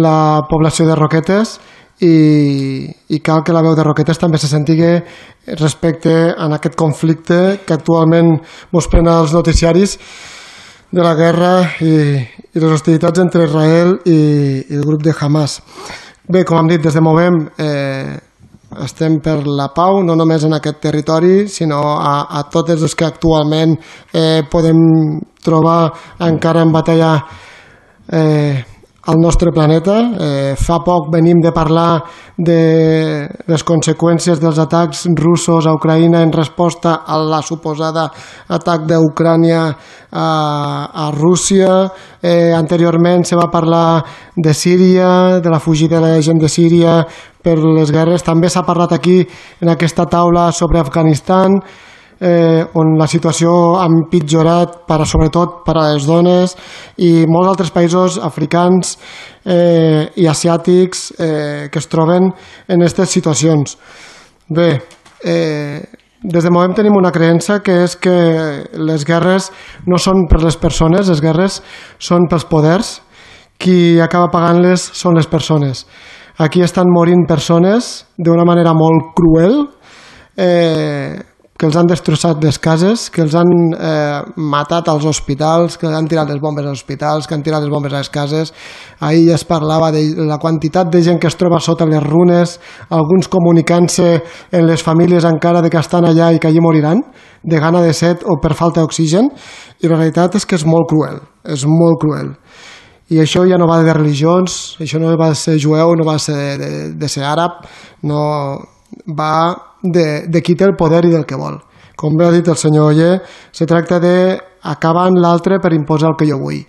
la població de Roquetes i, i cal que la veu de Roquetes també se sentigui respecte a aquest conflicte que actualment ens prenen els noticiaris de la guerra i, i les hostilitats entre Israel i, i el grup de Hamas. Bé, com hem dit, des de Movem eh, estem per la pau, no només en aquest territori, sinó a, a totes les que actualment eh, podem trobar encara en batalla eh, al nostre planeta. Eh, fa poc venim de parlar de les conseqüències dels atacs russos a Ucraïna en resposta a la suposada atac d'Ucrània a, a Rússia. Eh, anteriorment se va parlar de Síria, de la fugida de la gent de Síria per les guerres. També s'ha parlat aquí en aquesta taula sobre Afganistan, Eh, on la situació ha empitjorat per, sobretot per a les dones, i molts altres països africans eh, i asiàtics eh, que es troben en aquestes situacions. Bé, eh, des de Movem tenim una creença, que és que les guerres no són per les persones, les guerres són pels poders. Qui acaba pagant-les són les persones. Aquí estan morint persones d'una manera molt cruel, eh, que els han destrossat les cases, que els han eh, matat als hospitals, que han tirat les bombes als hospitals, que han tirat les bombes a les cases. Ahir es parlava de la quantitat de gent que es troba sota les runes, alguns comunicant-se en les famílies encara de que estan allà i que allí moriran, de gana de set o per falta d'oxigen, i la realitat és que és molt cruel, és molt cruel. I això ja no va de religions, això no va de ser jueu, no va de ser, de, de ser àrab, no va de, de qui té el poder i del que vol. Com bé ha dit el senyor Oller, se tracta d'acabar amb l'altre per imposar el que jo vull.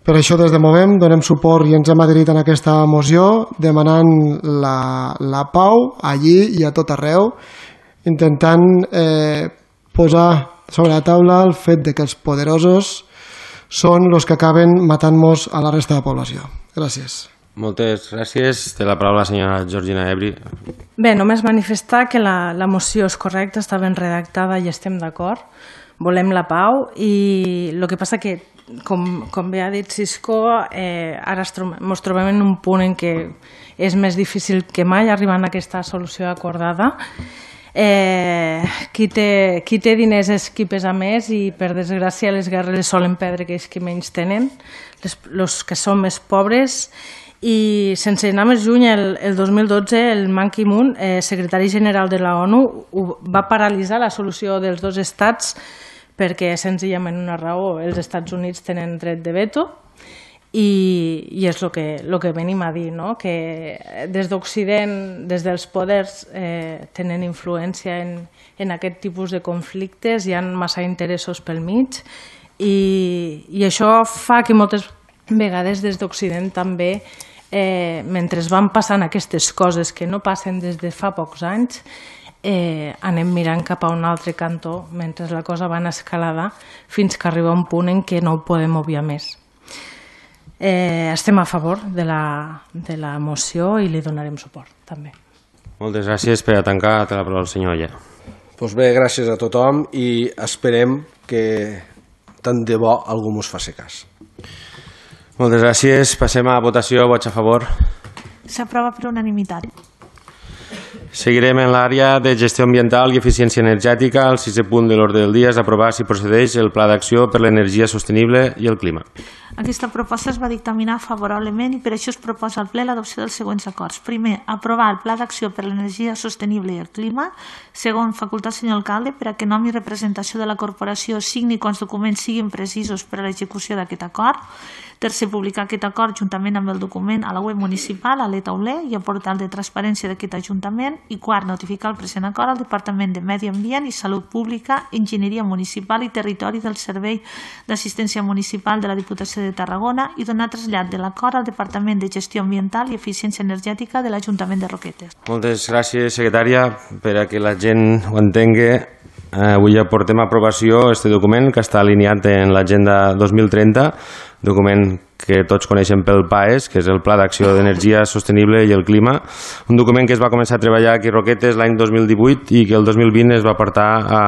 Per això des de Movem donem suport i ens hem adherit en aquesta moció, demanant la, la pau allí i a tot arreu, intentant eh, posar sobre la taula el fet de que els poderosos són els que acaben matant-nos a la resta de la població. Gràcies. Moltes gràcies. Té la paraula la senyora Georgina Ebri. Bé, només manifestar que la, la moció és correcta, està ben redactada i estem d'acord. Volem la pau i el que passa que, com, com bé ha dit Cisco, eh, ara ens trobem, trobem en un punt en què és més difícil que mai arribar a aquesta solució acordada. Eh, qui, té, qui té diners és qui pesa més i, per desgràcia, les guerres solen perdre aquells que menys tenen, les, els que són més pobres. I sense anar més lluny, el, el dos mil dotze el Ban Ki-moon, eh, secretari general de la ONU, va paralitzar la solució dels dos estats perquè senzillament una raó, els Estats Units tenen dret de veto i, i és el que, el que venim a dir, no? Que des d'Occident, des dels poders, eh, tenen influència en, en aquest tipus de conflictes, hi ha massa interessos pel mig i, i això fa que moltes vegades des d'Occident també, eh, mentre van passant aquestes coses que no passen des de fa pocs anys, eh, anem mirant cap a un altre cantó mentre la cosa va en escalada fins que arriba un punt en què no ho podem obviar més. Eh, estem a favor de la, de la moció i li donarem suport també. Moltes gràcies. Per a tancar, té la paraula el senyor Oller. Doncs bé, gràcies a tothom i esperem que tant de bo algú mos faci cas. Moltes gràcies. Passem a votació. Vots a favor. S'aprova per unanimitat. Seguirem en l'àrea de gestió ambiental i eficiència energètica. El sisè punt de l'ordre del dia és aprovar si procedeix el Pla d'Acció per l'Energia Sostenible i el Clima. Aquesta proposta es va dictaminar favorablement i per això es proposa al ple l'adopció dels següents acords. Primer, aprovar el Pla d'Acció per l'Energia Sostenible i el Clima. Segon, facultar al senyor alcalde per a que nom i representació de la corporació signi quan els documents siguin precisos per a l'execució d'aquest acord. Tercer, publicar aquest acord juntament amb el document a la web municipal, a l'e-tauler i al portal de transparència d'aquest Ajuntament. I quart, notificar el present acord al Departament de Medi Ambient i Salut Pública, Enginyeria Municipal i Territori del Servei d'Assistència Municipal de la Diputació de Tarragona i donar trasllat de l'acord al Departament de Gestió Ambiental i Eficiència Energètica de l'Ajuntament de Roquetes. Moltes gràcies, secretària. Per a que la gent ho entengui, avui ja portem a aprovació este document que està alineat en l'Agenda dos mil trenta, document que tots coneixem pel P A E S, que és el Pla d'Acció d'Energia Sostenible i el Clima, un document que es va començar a treballar aquí a Roquetes l'any dos mil divuit i que el dos mil vint es va portar a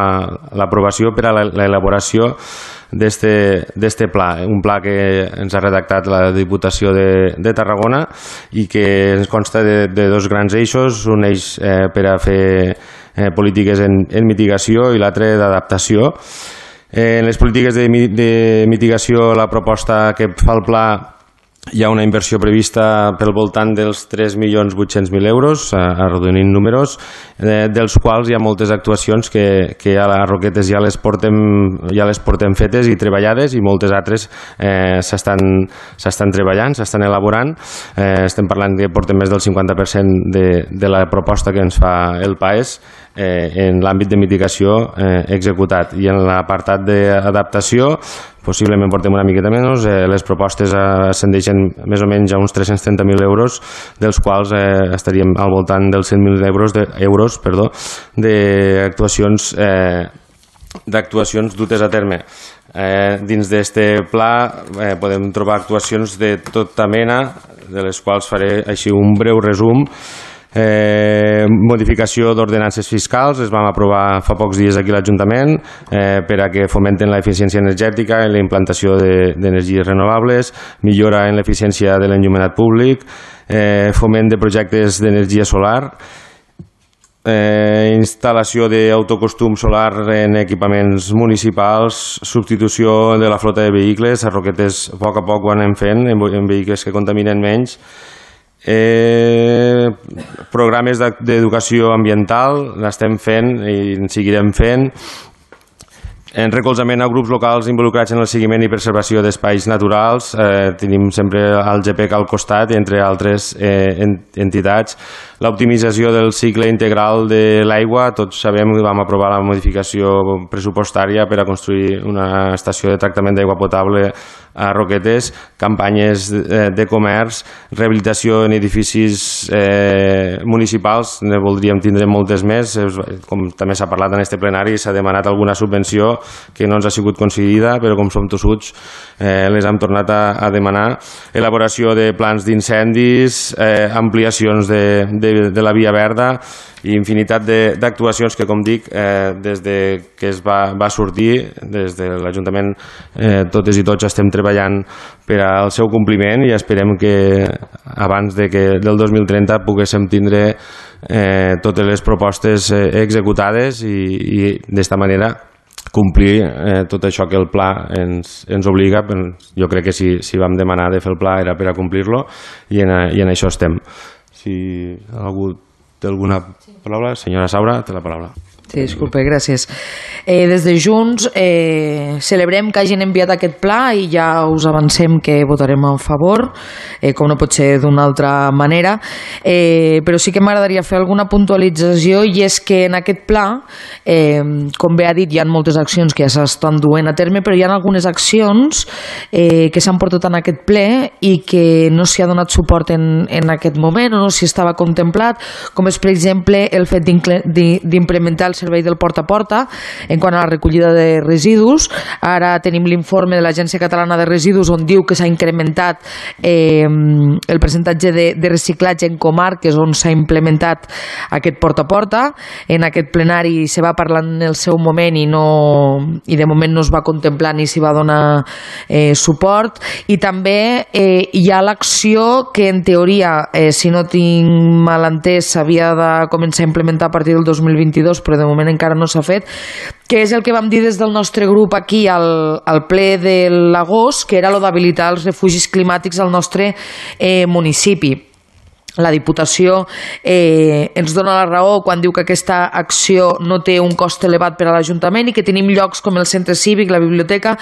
l'aprovació per a l'elaboració d'este pla, un pla que ens ha redactat la Diputació de, de Tarragona i que ens consta de, de dos grans eixos, un eix eh, per a fer eh, polítiques en, en mitigació i l'altre d'adaptació. En les polítiques de, de mitigació, la proposta que fa el pla, hi ha una inversió prevista pel voltant dels tres milions vuit-cents mil euros, arrodonint números, eh, dels quals hi ha moltes actuacions que, que a les Roquetes ja les, portem, ja les portem fetes i treballades i moltes altres eh, s'estan treballant, s'estan elaborant. Eh, estem parlant que portem més del cinquanta per cent de, de la proposta que ens fa el P A E S eh, en l'àmbit de mitigació eh, executat. I en l'apartat d'adaptació possiblement portem una miqueta menys, eh, les propostes ascendeixen més o menys a uns tres-cents trenta mil euros, dels quals eh, estaríem al voltant dels cent mil euros de, euros, perdó, d'actuacions eh, d'actuacions dutes a terme. Eh, dins d'este pla eh, podem trobar actuacions de tota mena, de les quals faré així un breu resum. Eh, modificació d'ordenances fiscals, es vam aprovar fa pocs dies aquí a l'Ajuntament eh, per a que fomenten l'eficiència energètica i la implantació d'energies renovables, millora en l'eficiència de l'enllumenat públic, eh, foment de projectes d'energia solar, eh, instal·lació d'autocostum solar en equipaments municipals, substitució de la flota de vehicles. A Roquetes a poc a poc ho anem fent en, en vehicles que contaminen menys. Eh, programes d'educació ambiental l'estem fent i en seguirem fent, en recolzament a grups locals involucrats en el seguiment i preservació d'espais naturals. Eh, tenim sempre el G P E C al costat, entre altres eh, entitats. L'optimització del cicle integral de l'aigua. Tots sabem que vam aprovar la modificació pressupostària per a construir una estació de tractament d'aigua potable a Roquetes, campanyes de comerç, rehabilitació en edificis eh, municipals, ne voldríem tindre moltes més, com també s'ha parlat en este plenari, s'ha demanat alguna subvenció que no ens ha sigut concedida, però com som tossuts eh, les hem tornat a, a demanar, elaboració de plans d'incendis, eh, ampliacions de, de, de la via verda i infinitat d'actuacions que, com dic, eh, des de que es va, va sortir, des de l'Ajuntament, eh, totes i tots estem treballant per al seu compliment i esperem que abans de que del dos mil trenta poguéssim tindre eh, totes les propostes eh, executades i, i d'esta manera complir eh, tot això que el pla ens, ens obliga. Jo crec que si, si vam demanar de fer el pla era per a complir-lo i en, i en això estem. Si algú té alguna paraula, senyora Saura, té la paraula. Sí, disculpe, gràcies. Eh, des de Junts eh, celebrem que hagin enviat aquest pla i ja us avancem que votarem a favor, eh, com no pot ser d'una altra manera, eh, però sí que m'agradaria fer alguna puntualització i és que en aquest pla, eh, com bé ha dit, hi ha moltes accions que ja s'estan duent a terme, però hi ha algunes accions eh, que s'han portat en aquest ple i que no s'hi ha donat suport en, en aquest moment o no s'hi estava contemplat, com és, per exemple, el fet d'implementar el servei del porta a porta en quant a la recollida de residus. Ara tenim l'informe de l'Agència Catalana de Residus on diu que s'ha incrementat eh, el percentatge de, de reciclatge en comarques on s'ha implementat aquest porta a porta. En aquest plenari se va parlar en el seu moment i, no, i de moment no es va contemplar ni s'hi va donar eh, suport. I també eh, hi ha l'acció que en teoria, eh, si no tinc mal entès, s'havia de començar a implementar a partir del dos mil vint-i-dos, però de moment encara no s'ha fet, que és el que vam dir des del nostre grup aquí al, al ple de l'agost, que era lo d'habilitar els refugis climàtics al nostre eh, municipi. La Diputació eh, ens dona la raó quan diu que aquesta acció no té un cost elevat per a l'Ajuntament i que tenim llocs com el centre cívic, la biblioteca,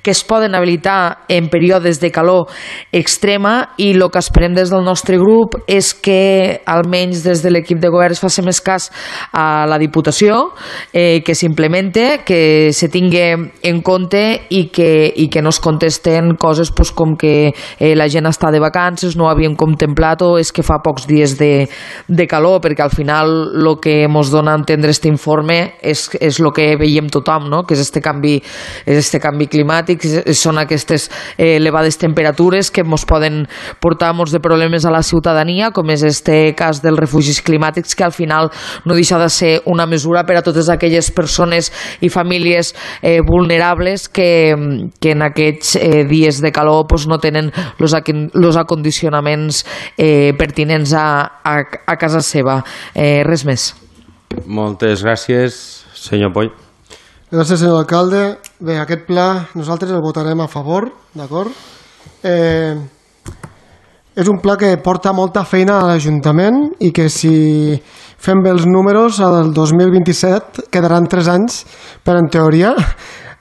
que es poden habilitar en períodes de calor extrema i el que esperem des del nostre grup és que almenys des de l'equip de govern es faci més cas a la Diputació, eh, que s'implemente, que se tingui en compte i que, i que no es contesten coses pues, com que eh, la gent està de vacances, no ho havíem contemplat o és que fa pocs dies de, de calor, perquè al final el que ens dona a entendre aquest informe és, és el que veiem tothom, no? Que és este canvi, és este canvi climàtic, són aquestes eh, elevades temperatures que ens poden portar molts de problemes a la ciutadania, com és este cas dels refugis climàtics, que al final no deixa de ser una mesura per a totes aquelles persones i famílies eh, vulnerables que, que en aquests eh, dies de calor pues, no tenen els acondicionaments eh, pertinents A, a, a casa seva. Eh, res més. Moltes gràcies, senyor Poll. Gràcies, senyor alcalde. Bé, aquest pla nosaltres el votarem a favor, d'acord? Eh, és un pla que porta molta feina a l'Ajuntament i que si fem bé els números, al dos mil vint-i-set quedaran tres anys per, en teoria,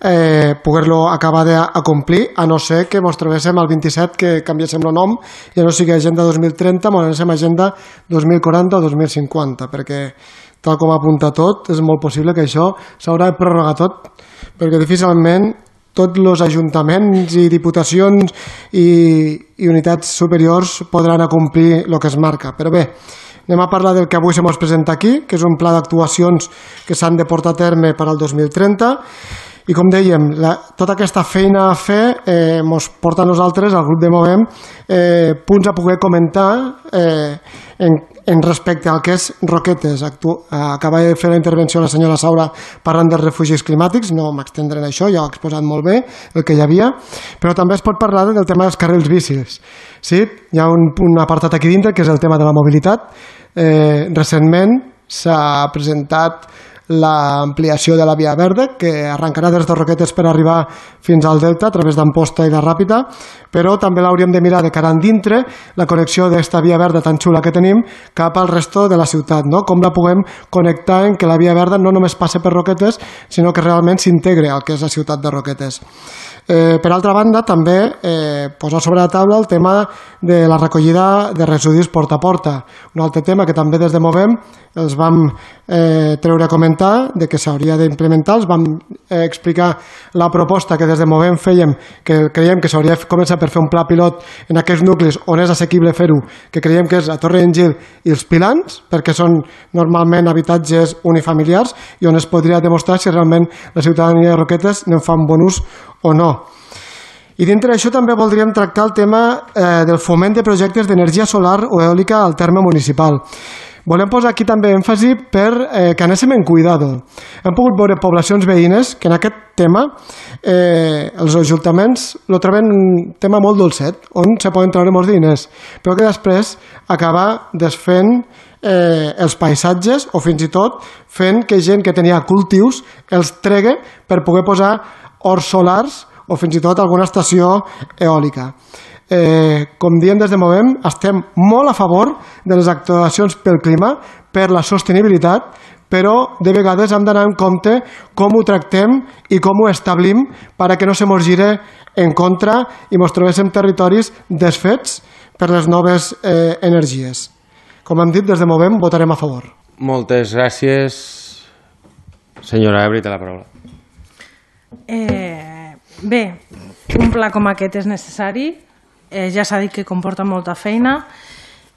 Eh, poder-lo acabar de complir, a no ser que ens trobéssim al vint-i-set que canviéssim el nom i no sigui Agenda dos mil trenta, ens anéssim a Agenda dos mil quaranta o dos mil cinquanta, perquè tal com apunta tot és molt possible que això s'haurà de prorrogar tot, perquè difícilment tots els ajuntaments i diputacions i, i unitats superiors podran acomplir el que es marca. Però bé, anem a parlar del que avui se mos presenta aquí, que és un pla d'actuacions que s'han de portar a terme per al dos mil trenta. I com dèiem, la, tota aquesta feina a fer eh, ens porta a nosaltres, al grup de Movem, eh, punts a poder comentar eh, en, en respecte al que és Roquetes. Actu acaba de fer la intervenció la senyora Saura parlant dels refugis climàtics, no m'extendré en això, ja ho ha exposat molt bé el que hi havia, però també es pot parlar del tema dels carrils bicis. Sí? Hi ha un, un apartat aquí dintre que és el tema de la mobilitat. Eh, recentment s'ha presentat l'ampliació de la via verda, que arrencarà des de Roquetes per arribar fins al Delta a través d'Amposta i de Ràpita, però també l'hauríem de mirar de cara endintre, la connexió d'esta via verda tan xula que tenim cap al resto de la ciutat, no? Com la puguem connectar en que la via verda no només passe per Roquetes, sinó que realment s'integre al que és la ciutat de Roquetes. Eh, per altra banda, també eh, posar sobre la taula el tema de la recollida de residus porta a porta. Un altre tema que també des de Movem els vam eh, treure a comentar de que s'hauria d'implementar, els vam eh, explicar la proposta que des de Movem fèiem, que creiem que s'hauria començat per fer un pla pilot en aquests nuclis on és assequible fer-ho, que creiem que és a Torre d'Engil i els Pilans, perquè són normalment habitatges unifamiliars i on es podria demostrar si realment la ciutadania de Roquetes ne fa un bon ús o no. I dintre d'això també voldríem tractar el tema eh, del foment de projectes d'energia solar o eòlica al terme municipal. Volem posar aquí també èmfasi per eh, que anéssim en cuidado. Hem pogut veure poblacions veïnes que en aquest tema eh, els ajuntaments lo troben un tema molt dolcet, on se poden treure molts diners, però que després acaba desfent eh, els paisatges o fins i tot fent que gent que tenia cultius els tregue per poder posar horts solars o fins i tot alguna estació eòlica. Eh, com diem des de Movem, estem molt a favor de les actuacions pel clima, per la sostenibilitat, però de vegades hem d'anar en compte com ho tractem i com ho establim perquè no se mos gire en contra i mos trobéssim territoris desfets per les noves eh, energies. Com hem dit, des de Movem votarem a favor. Moltes gràcies. Senyora Ebri, té la paraula. Eh, bé, un pla com aquest és necessari. Eh, ja s'ha dit que comporta molta feina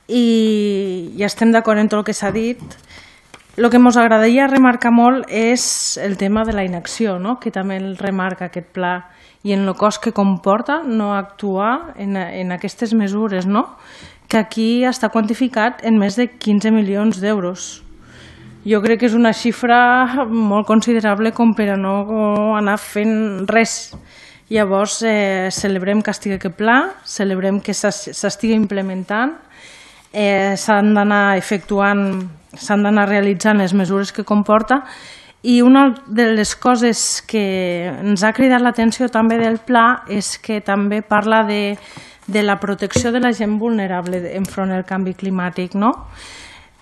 i, i estem d'acord en tot el que s'ha dit. El que ens agradaria remarcar molt és el tema de la inacció, no? Que també el remarca aquest pla i en el cost que comporta no actuar en, en aquestes mesures, no? Que aquí està quantificat en més de quinze milions d'euros. Jo crec que és una xifra molt considerable com per a no anar fent res. Llavors, eh, celebrem que estigui aquest pla, celebrem que s'estigui implementant, eh, s'han d'anar efectuant, s'han d'anar realitzant les mesures que comporta i una de les coses que ens ha cridat l'atenció també del pla és que també parla de, de la protecció de la gent vulnerable enfront del canvi climàtic, no?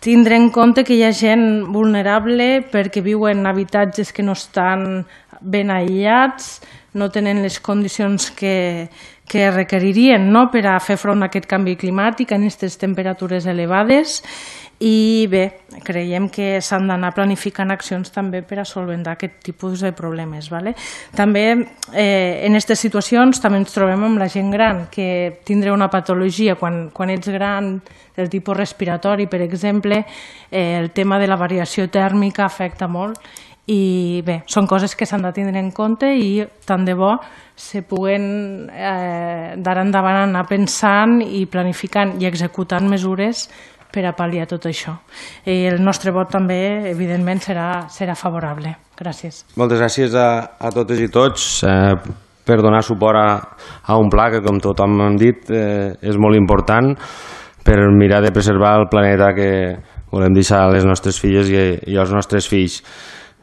Tindre en compte que hi ha gent vulnerable perquè viuen en habitatges que no estan ben aïllats, no tenen les condicions que, que requeririen, no?, per a fer front a aquest canvi climàtic en aquestes temperatures elevades i bé, creiem que s'han d'anar planificant accions també per a solventar aquest tipus de problemes. Vale? També eh, en aquestes situacions també ens trobem amb la gent gran que tindrà una patologia quan, quan ets gran del tipus respiratori, per exemple, eh, el tema de la variació tèrmica afecta molt i bé, són coses que s'han de tindre en compte i tant de bo se puguen eh, d'ara endavant anar pensant i planificant i executant mesures per a pal·liar tot això. I el nostre vot també, evidentment, serà, serà favorable. Gràcies. Moltes gràcies a, a totes i tots eh, per donar suport a, a un pla que, com tothom hem dit, eh, és molt important per mirar de preservar el planeta que volem deixar a les nostres filles i, i als nostres fills.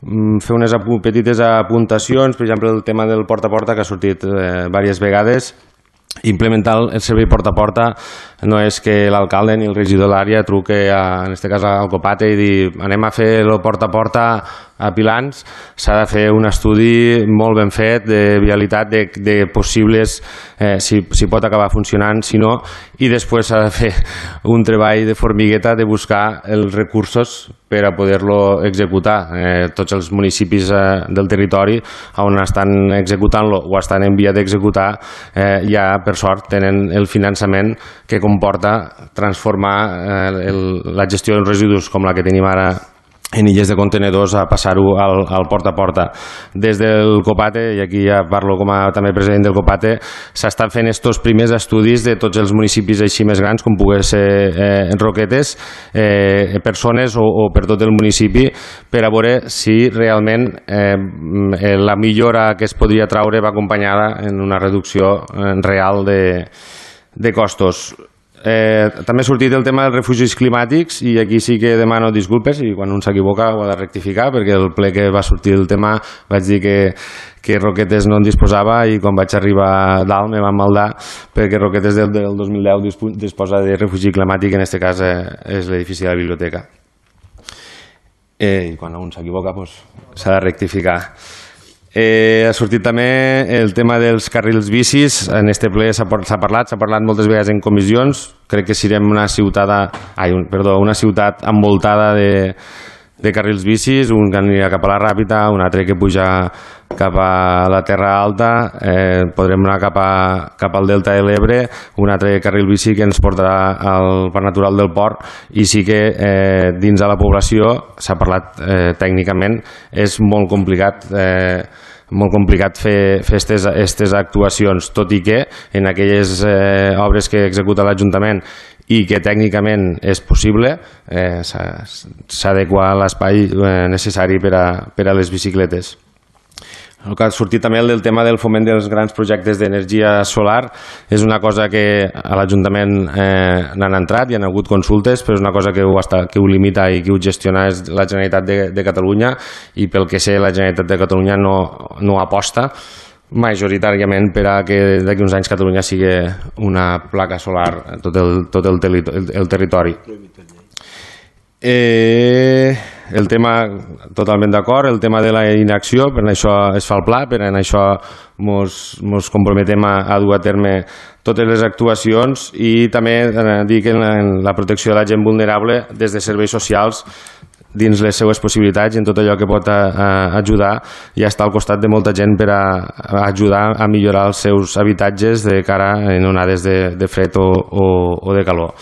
Fer unes apu petites apuntacions, per exemple el tema del porta a porta que ha sortit eh, diverses vegades. Implementar el servei porta a porta no és que l'alcalde ni el regidor de l'àrea truque a, en aquest cas al Copate i dir anem a fer el porta a porta a Pilans. S'ha de fer un estudi molt ben fet de vialitat, de, de possibles eh, si, si pot acabar funcionant, si no, i després s'ha de fer un treball de formigueta de buscar els recursos per a poder-lo executar. Eh, tots els municipis eh, del territori on estan executant-lo o estan en via d'executar eh, ja per sort tenen el finançament que comporta transformar eh, el, la gestió dels residus com la que tenim ara en illes de contenedors a passar-ho al, al porta a porta. Des del Copate, i aquí ja parlo com a també president del Copate, s'estan fent estos primers estudis de tots els municipis així més grans com pugui ser eh, Roquetes, eh, persones o, o per tot el municipi, per a veure si realment eh, la millora que es podria traure va acompanyada en una reducció real de, de costos. Eh, també ha sortit el tema dels refugis climàtics i aquí sí que demano disculpes i quan un s'equivoca ho ha de rectificar perquè el ple que va sortir el tema vaig dir que, que Roquetes no en disposava i quan vaig arribar dalt me van maldar perquè Roquetes del, del dos mil deu disposa de refugi climàtic, en aquest cas eh, és l'edifici de la biblioteca. Eh, I quan un s'equivoca pues, s'ha de rectificar. Eh, ha sortit també el tema dels carrils bicis. En este ple s'ha parlat, s'ha parlat moltes vegades en comissions. Crec que serem una ciutat, ai, un, perdó, una ciutat envoltada de, de carrils bicis, un que anirà cap a la Ràpita, un altre que puja cap a la Terra Alta, eh, podrem anar cap, a, cap al Delta de l'Ebre, un altre carril bici que ens portarà al Parc Natural del Port, i sí que eh, dins de la població, s'ha parlat eh, tècnicament, és molt complicat eh, molt complicat fer aquestes actuacions, tot i que en aquelles eh, obres que executa l'Ajuntament i que tècnicament és possible, eh, s'adequa l'espai eh, necessari per a, per a les bicicletes. El que ha sortit també el del tema del foment dels grans projectes d'energia solar és una cosa que a l'Ajuntament eh, n'han entrat i han hagut consultes, però és una cosa que ho, està, que ho limita i que ho gestiona és la Generalitat de, de Catalunya, i pel que sé la Generalitat de Catalunya no, no aposta majoritàriament per a que d'aquí uns anys Catalunya sigui una placa solar tot el, tot el, el, el territori. Eh, el tema, totalment d'acord, el tema de la inacció, per això es fa el pla, per això mos, mos comprometem a, a dur a terme totes les actuacions, i també eh, dir que en la, en la protecció de la gent vulnerable des de serveis socials, dins les seues possibilitats i en tot allò que pot a, a ajudar, i està al costat de molta gent per a, a ajudar a millorar els seus habitatges de cara en onades de, de fred o, o, o de calor.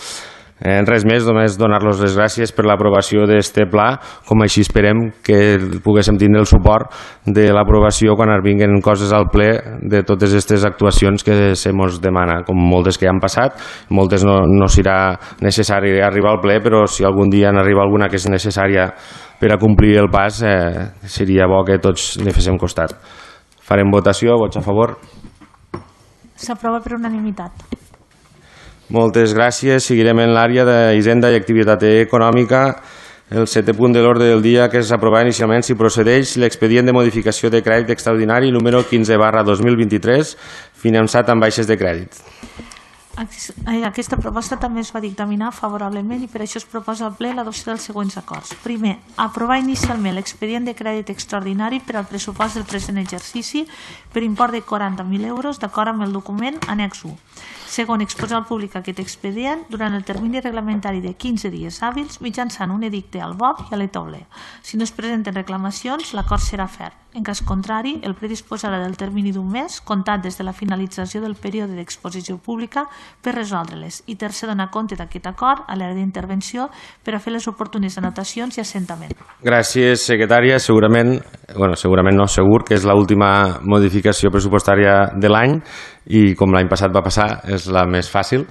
Eh, res més, només donar-los les gràcies per l'aprovació d'aquest pla, com així esperem que poguéssim tindre el suport de l'aprovació quan es vinguin coses al ple de totes aquestes actuacions que se mos demana, com moltes que ja han passat. Moltes no, no serà necessari arribar al ple, però si algun dia n'arriba alguna que és necessària per a complir el pas, eh, seria bo que tots li féssim costat. Farem votació, vots a favor. S'aprova per unanimitat. Moltes gràcies. Seguirem en l'àrea d'Hisenda i Activitat Econòmica. El setè punt de l'ordre del dia, que és aprovar inicialment si procedeix l'expedient de modificació de crèdit extraordinari número quinze barra dos mil vint-i-tres, finançat amb baixes de crèdit. Aquesta proposta també es va dictaminar favorablement i per això es proposa al ple l'adopció dels següents acords. Primer, aprovar inicialment l'expedient de crèdit extraordinari per al pressupost del present exercici per import de quaranta mil euros d'acord amb el document annex u. Segon, exposar al públic aquest expedient durant el termini reglamentari de quinze dies hàbils mitjançant un edicte al B O P i a l'E T O B L E. Si no es presenten reclamacions, l'acord serà ferm. En cas contrari, el ple disposarà del termini d'un mes, comptat des de la finalització del període d'exposició pública, per resoldre-les. I tercer, donar compte d'aquest acord a l'àrea d'intervenció per a fer les oportunes anotacions i assentament. Gràcies, secretària. Segurament, bueno, segurament no, segur que és l'última modificació pressupostària de l'any, i com l'any passat va passar, és la més fàcil,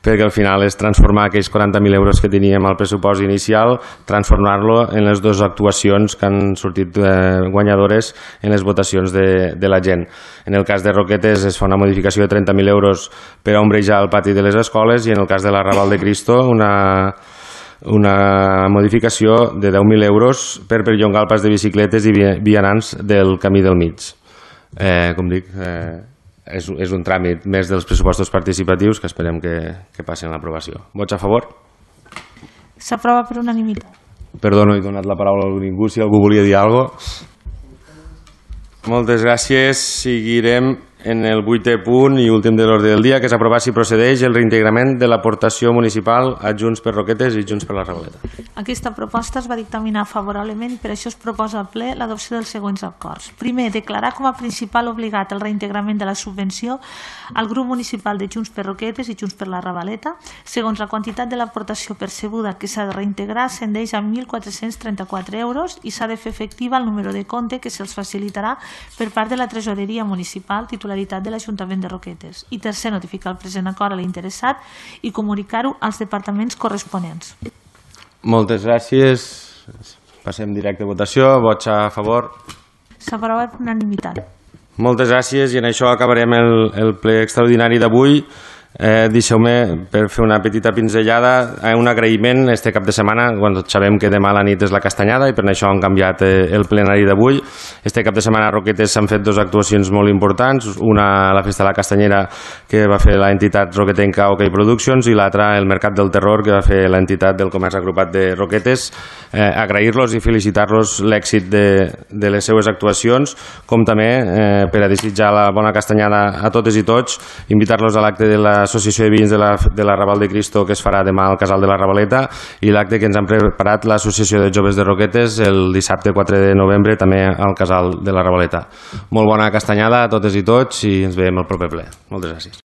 perquè al final és transformar aquells quaranta mil euros que teníem al pressupost inicial, transformar-lo en les dues actuacions que han sortit eh, guanyadores en les votacions de, de la gent. En el cas de Roquetes es fa una modificació de trenta mil euros per a ombrejar el pati de les escoles, i en el cas de la Raval de Cristo una, una modificació de deu mil euros per perllongar el pas de bicicletes i vianants del camí del mig. Eh, com dic... Eh, És, és un tràmit més dels pressupostos participatius que esperem que, que passin a l'aprovació. Vots a favor? S'aprova per unanimitat. Perdó, no he donat la paraula a ningú, si algú volia dir alguna cosa. Moltes gràcies. Seguirem en el vuitè punt i últim de l'ordre del dia, que és aprovar si procedeix el reintegrament de l'aportació municipal a Junts per Roquetes i Junts per la Ravaleta. Aquesta proposta es va dictaminar favorablement i per això es proposa al ple l'adopció dels següents acords. Primer, declarar com a principal obligat el reintegrament de la subvenció al grup municipal de Junts per Roquetes i Junts per la Ravaleta. Segons, la quantitat de l'aportació percebuda que s'ha de reintegrar ascendeix a mil quatre-cents trenta-quatre euros i s'ha de fer efectiva el número de compte que se'ls facilitarà per part de la tresoreria municipal titularitat de l'Ajuntament de Roquetes. I tercer, notificar el present acord a l'interessat i comunicar-ho als departaments corresponents. Moltes gràcies. Passem directe a votació. Vots a favor? S'aprova per unanimitat. Moltes gràcies, i en això acabarem el, el ple extraordinari d'avui. Eh, Deixeu-me, per fer una petita pinzellada, eh, un agraïment este cap de setmana, quan tots sabem que demà a la nit és la castanyada i per això han canviat eh, el plenari d'avui. Este cap de setmana a Roquetes s'han fet dues actuacions molt importants, una a la Festa de la Castanyera que va fer l'entitat roquetenca OK Productions i l'altra el Mercat del Terror que va fer l'entitat del Comerç Agrupat de Roquetes. Eh, agrair-los i felicitar-los l'èxit de, de les seues actuacions, com també eh, per a desitjar la bona castanyada a totes i tots, invitar-los a l'acte de la l'Associació de Veïns de la, de la Raval de Cristo, que es farà demà al Casal de la Ravaleta, i l'acte que ens han preparat l'Associació de Joves de Roquetes el dissabte quatre de novembre també al Casal de la Ravaleta. Molt bona castanyada a totes i tots i ens veiem al proper ple. Moltes gràcies.